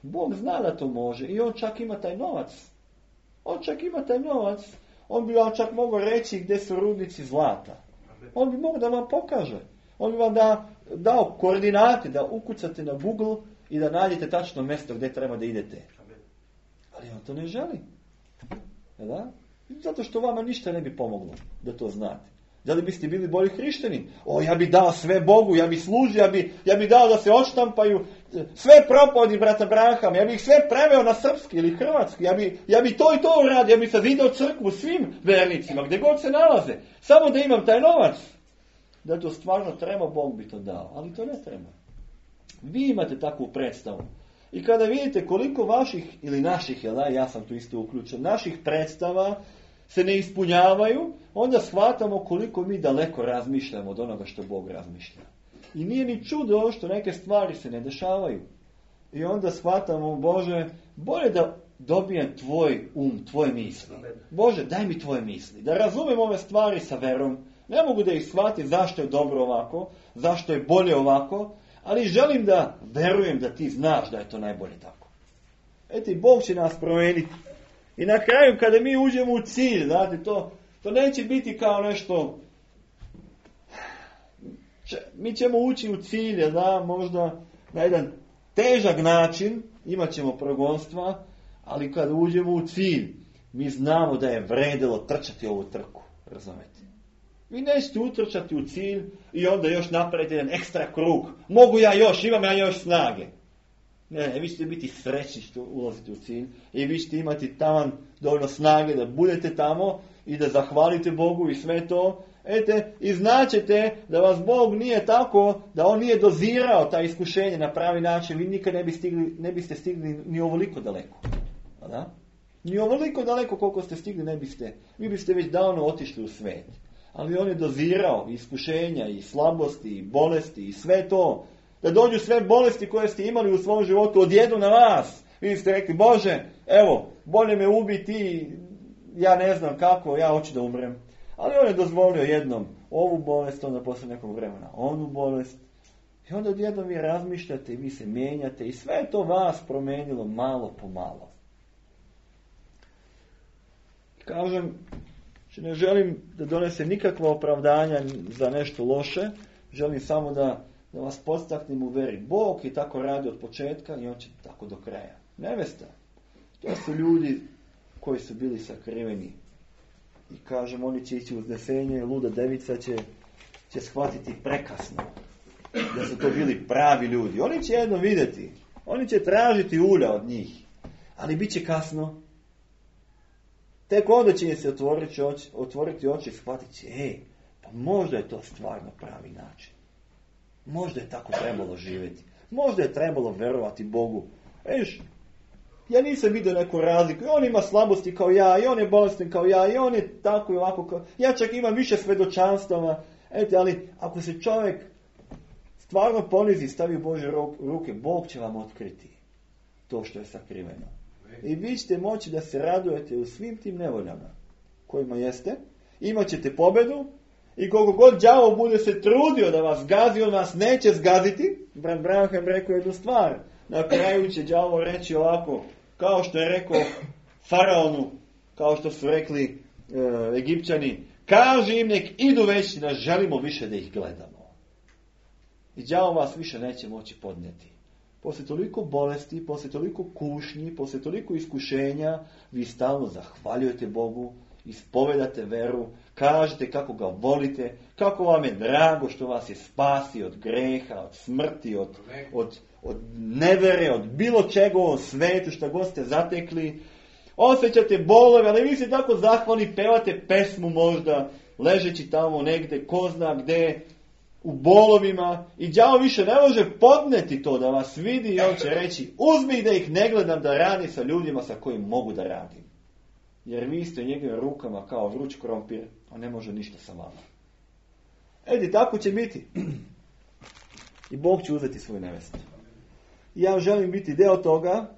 B: Bog zna da to može i on čak ima taj novac. On bi vam čak mogao reći gdje su rudnici zlata. On bi mogao da vam pokaže. On bi vam dao koordinate da ukucate na Google i da nađete tačno mjesto gdje treba da idete. Ali on to ne želi. Da? Zato što vama ništa ne bi pomoglo da to znate. Da li biste bili bolji hrišćani? Ja bi dao sve Bogu, ja bi služio, ja bi dao da se odštampaju sve propovedi brata Brahama, ja bi ih sve preveo na srpski ili hrvatski, ja bi to i to uradio, ja bi zidao crkvu svim vernicima, gdje god se nalaze, samo da imam taj novac. Da to stvarno treba, Bog bi to dao, ali to ne treba. Vi imate takvu predstavu. I kada vidite koliko vaših ili naših, ja sam tu isto uključen, naših predstava se ne ispunjavaju, onda shvatamo koliko mi daleko razmišljamo od onoga što Bog razmišlja. I nije ni čudo što neke stvari se ne dešavaju. I onda shvatamo, Bože, bolje da dobijem tvoj tvoje misli. Bože, daj mi tvoje misli. Da razumem ove stvari sa verom. Ne mogu da ih shvatim zašto je dobro ovako, zašto je bolje ovako, ali želim da verujem da ti znaš da je to najbolje tako. I Bog će nas promijeniti. I na kraju kada mi uđemo u cilj, znate, to neće biti kao nešto, mi ćemo ući u cilj, možda na jedan težak način, imat ćemo progonstva, ali kada uđemo u cilj, mi znamo da je vredilo trčati ovu trku, razumete? Vi nećete utrčati u cilj i onda još napraviti jedan ekstra krug. Mogu ja još, imam ja još snage. Ne, vi ćete biti srećni što ulazite u cilj i vi ćete imati taman dovoljno snage da budete tamo i da zahvalite Bogu i sve to. I znaćete da vas Bog nije tako, da on nije dozirao ta iskušenje na pravi način, vi nikad ne biste stigli ni ovoliko daleko. Da? Ni ovoliko daleko koliko ste stigli ne biste. Vi biste već davno otišli u svet. Ali on je dozirao iskušenja i slabosti i bolesti i sve to. Da dođu sve bolesti koje ste imali u svom životu odjedu na vas. Vi ste rekli, Bože, evo, bolje me ubiti, ja ne znam kako, ja hoću da umrem. Ali on je dozvolio jednom ovu bolest, onda posle nekog vremena onu bolest. I onda odjednom vi razmišljate i vi se mijenjate i sve to vas promenilo malo po malo. Kažem, ne želim da donesem nikakva opravdanja za nešto loše, želim samo da vas podstaknem u veri. Bog je tako radio od početka i on će tako do kraja. Nevesta, to su ljudi koji su bili sakriveni. I kažem, oni će ići uznesenje, luda devica će će shvatiti prekasno da su to bili pravi ljudi. Oni će jedno vidjeti. Oni će tražiti ulja od njih. Ali bit će kasno. Tek onda će im se otvoriti oči i shvatiti će, pa možda je to stvarno pravi način. Možda je tako trebalo živjeti. Možda je trebalo verovati Bogu. Ja nisam vidio neku razliku. I on ima slabosti kao ja, i on je bolestan kao ja, i on je tako i ovako kao... Ja čak imam više svedočanstava. Ali ako se čovjek stvarno ponizi i stavi u Božje ruke, Bog će vam otkriti to što je sakriveno. I vi ćete moći da se radujete u svim tim nevoljama kojima jeste. Imat ćete pobjedu i koliko god đavo bude se trudio da vas gazi, on vas neće zgaziti. Brat Branham rekao jednu stvar. Na kraju će đavo reći ovako, kao što je rekao faraonu, kao što su rekli Egipćani, kaži im nek idu već, ne želimo više da ih gledamo. I đavo vas više neće moći podnijeti. Poslije toliko bolesti, poslije toliko kušnji, poslije toliko iskušenja, vi stalno zahvaljujete Bogu, ispovedate veru, kažete kako ga volite, kako vam je drago što vas je spasio od greha, od smrti, od nevere, od bilo čega u ovom svetu, što god ste zatekli. Osjećate bolove, ali vi ste tako zahvalni, pevate pesmu možda, ležeći tamo negdje, ko zna gdje, u bolovima, i đavo više ne može podneti to da vas vidi i on će reći, uzmi da ih ne gledam da radi sa ljudima sa kojim mogu da radim. Jer vi ste u njegovim rukama kao vruć krompir, on ne može ništa sa vama. Tako će biti. I Bog će uzeti svoju nevestu. I ja želim biti deo toga.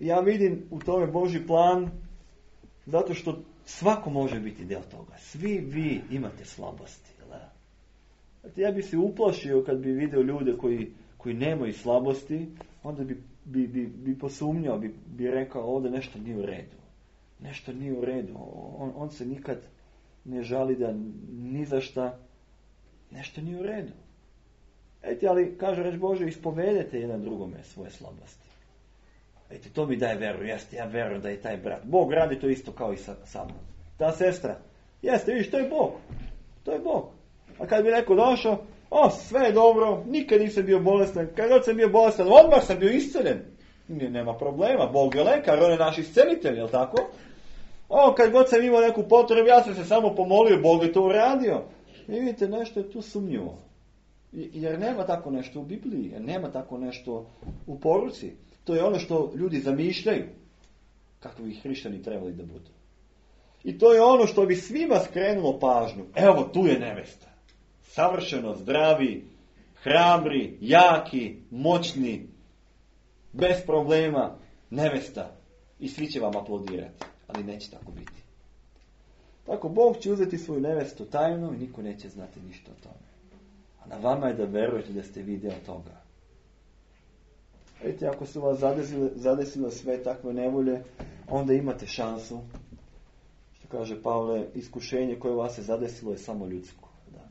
B: Ja vidim u tome Božji plan, zato što svako može biti deo toga. Svi vi imate slabosti. Ja bi se uplašio kad bi vidio ljude koji nemaju slabosti, onda bi posumnjao, bi rekao ovdje nešto nije u redu. Nešto nije u redu. On se nikad ne žali da ni za šta. Nešto nije u redu. Ali kaže reč Bože, ispovedete jedan drugome svoje slabosti. To mi daje veru. Jeste, ja verujem da je taj brat. Bog radi to isto kao i sa mnom. Ta sestra. Jeste, vidiš, to je Bog. To je Bog. A kad bi neko došao, sve je dobro, nikad nisam bio bolestan. Kad god sam bio bolestan, odmah sam bio isceljen. Nema problema, Bog je lekar, on je naš iscelitelj, jel tako? Kad god sam imao neku potrebu, ja sam se samo pomolio, Bog je to uradio. I vidite, nešto je tu sumnjivo. Jer nema tako nešto u Bibliji, jer nema tako nešto u poruci. To je ono što ljudi zamišljaju, kako bi hrišćani trebali da budu. I to je ono što bi svima skrenulo pažnju. Evo, tu je nevesta. Savršeno zdravi, hrabri, jaki, moćni, bez problema, nevesta. I svi će vam aplaudirati. Ali neće tako biti. Tako, Bog će uzeti svoju nevestu tajno i niko neće znati ništa o tome. A na vama je da verujete da ste vi deo toga. Vidite, ako su vas zadesile sve takve nevolje, onda imate šansu. Što kaže Pavle, iskušenje koje vas je zadesilo je samo ljudsko. Da.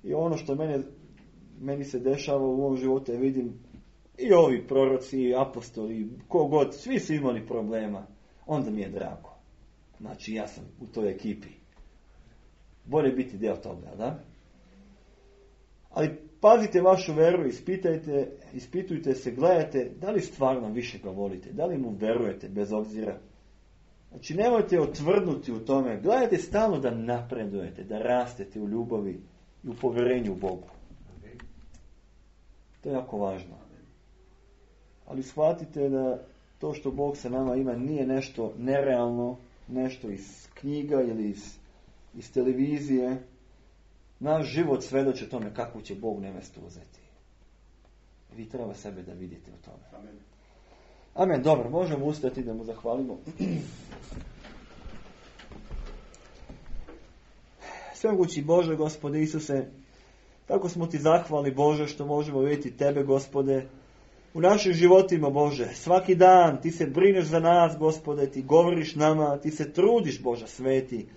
B: I ono što meni se dešava u ovom životu, ja vidim i ovi proroci, i apostoli, kogod, svi su imali problema. Onda mi je drago. Znači, ja sam u toj ekipi. Bolje biti deo toga, da? Ali pazite vašu veru, ispitujte se, gledajte da li stvarno više ga volite, da li mu verujete bez obzira. Znači, nemojte otvrdnuti u tome, gledajte stalno da napredujete, da rastete u ljubavi i u povjerenju u Bogu. To je jako važno. Ali shvatite da to što Bog sa nama ima nije nešto nerealno, nešto iz knjiga ili iz televizije. Naš život svedoči tome kako će Bog nevestu uzeti. Vi treba sebe da vidite u tome. Amen. Amen. Dobro, možemo ustati da mu zahvalimo. Svemogući Bože, Gospode Isuse, tako smo ti zahvalni, Bože, što možemo vidjeti tebe, Gospode, u našim životima, Bože. Svaki dan ti se brineš za nas, Gospode, ti govoriš nama, ti se trudiš, Bože sveti,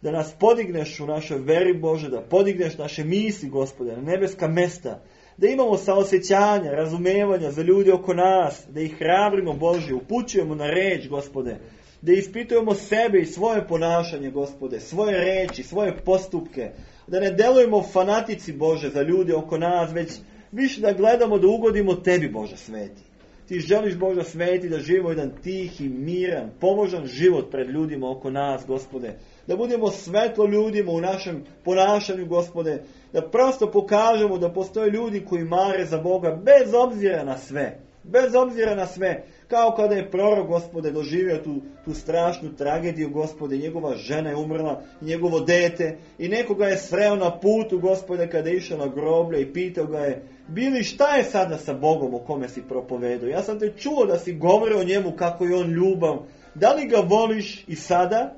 B: da nas podigneš u našoj veri, Bože, da podigneš naše misli, Gospode, na nebeska mesta, da imamo saosjećanja, razumevanja za ljudi oko nas, da ih hrabrimo, Bože, upućujemo na reč, Gospode, da ispitujemo sebe i svoje ponašanje, Gospode, svoje reči, svoje postupke,
A: Da ne delujemo fanatici, Bože, za ljude oko nas, već više da gledamo da ugodimo Tebi, Bože sveti. Ti želiš, Bože sveti, da živimo jedan tihi, miran, pomožan život pred ljudima oko nas, Gospode. Da budemo svetlo ljudima u našem ponašanju, Gospode. Da prosto pokažemo da postoje ljudi koji mare za Boga bez obzira na sve. Bez obzira na sve. Kao kada je prorok, Gospode, doživio tu strašnu tragediju, Gospode. Njegova žena je umrla, njegovo dete. I nekoga je sreo na putu, Gospode, kada je išao na groblje i pitao ga je: Bili, šta je sada sa Bogom o kome si propovedao? Ja sam te čuo da si govorio o njemu kako je on ljubav. Da li ga voliš i sada?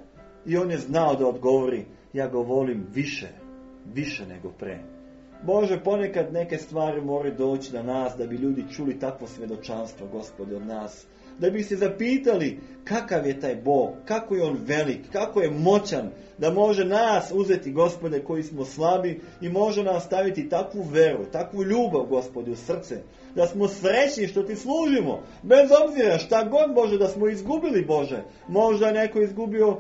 A: I on je znao da odgovori: ja ga volim više nego pre. Bože, ponekad neke stvari moraju doći na nas da bi ljudi čuli takvo svjedočanstvo, Gospode, od nas. Da bi se zapitali kakav je taj Bog, kako je on velik, kako je moćan, da može nas uzeti, Gospode, koji smo slabi, i može nam staviti takvu veru, takvu ljubav, Gospode, u srce. Da smo srećni što ti služimo, bez obzira šta god, Bože, da smo izgubili, Bože. Možda je neko izgubio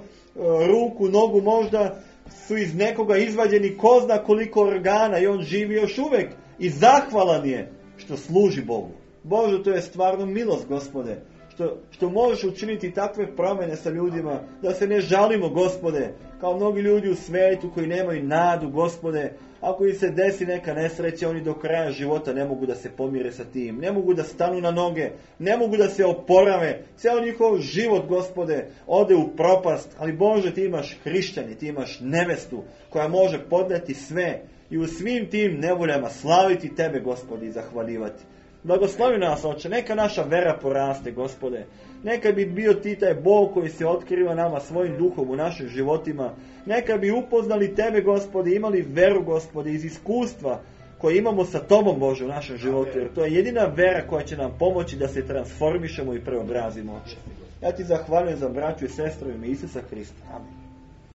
A: ruku, nogu, možda su iz nekoga izvađeni ko zna koliko organa i on živi još uvijek i zahvalan je što služi Bogu. Bože, to je stvarno milost, Gospode, što možeš učiniti takve promjene sa ljudima, da se ne žalimo, Gospode, kao mnogi ljudi u svijetu koji nemaju nadu, Gospode. Ako im se desi neka nesreća, oni do kraja života ne mogu da se pomire sa tim, ne mogu da stanu na noge, ne mogu da se oporave, cijel njihov život, Gospode, ode u propast. Ali Bože, ti imaš hrišćani, ti imaš nevestu koja može podneti sve i u svim tim nevoljama slaviti Tebe, Gospode, i zahvaljivati. Blagoslovi nas, Oče, neka naša vera poraste, Gospode. Neka bi bio ti taj Bog koji se otkriva nama svojim duhom u našim životima. Neka bi upoznali Tebe, Gospode, imali veru, Gospode, iz iskustva koje imamo sa Tobom, Bože, u našem životu. Jer to je jedina vera koja će nam pomoći da se transformišemo i preobrazimo, Oče. Ja ti zahvaljujem za braću i sestru u ime Isusa Hrista. Amen.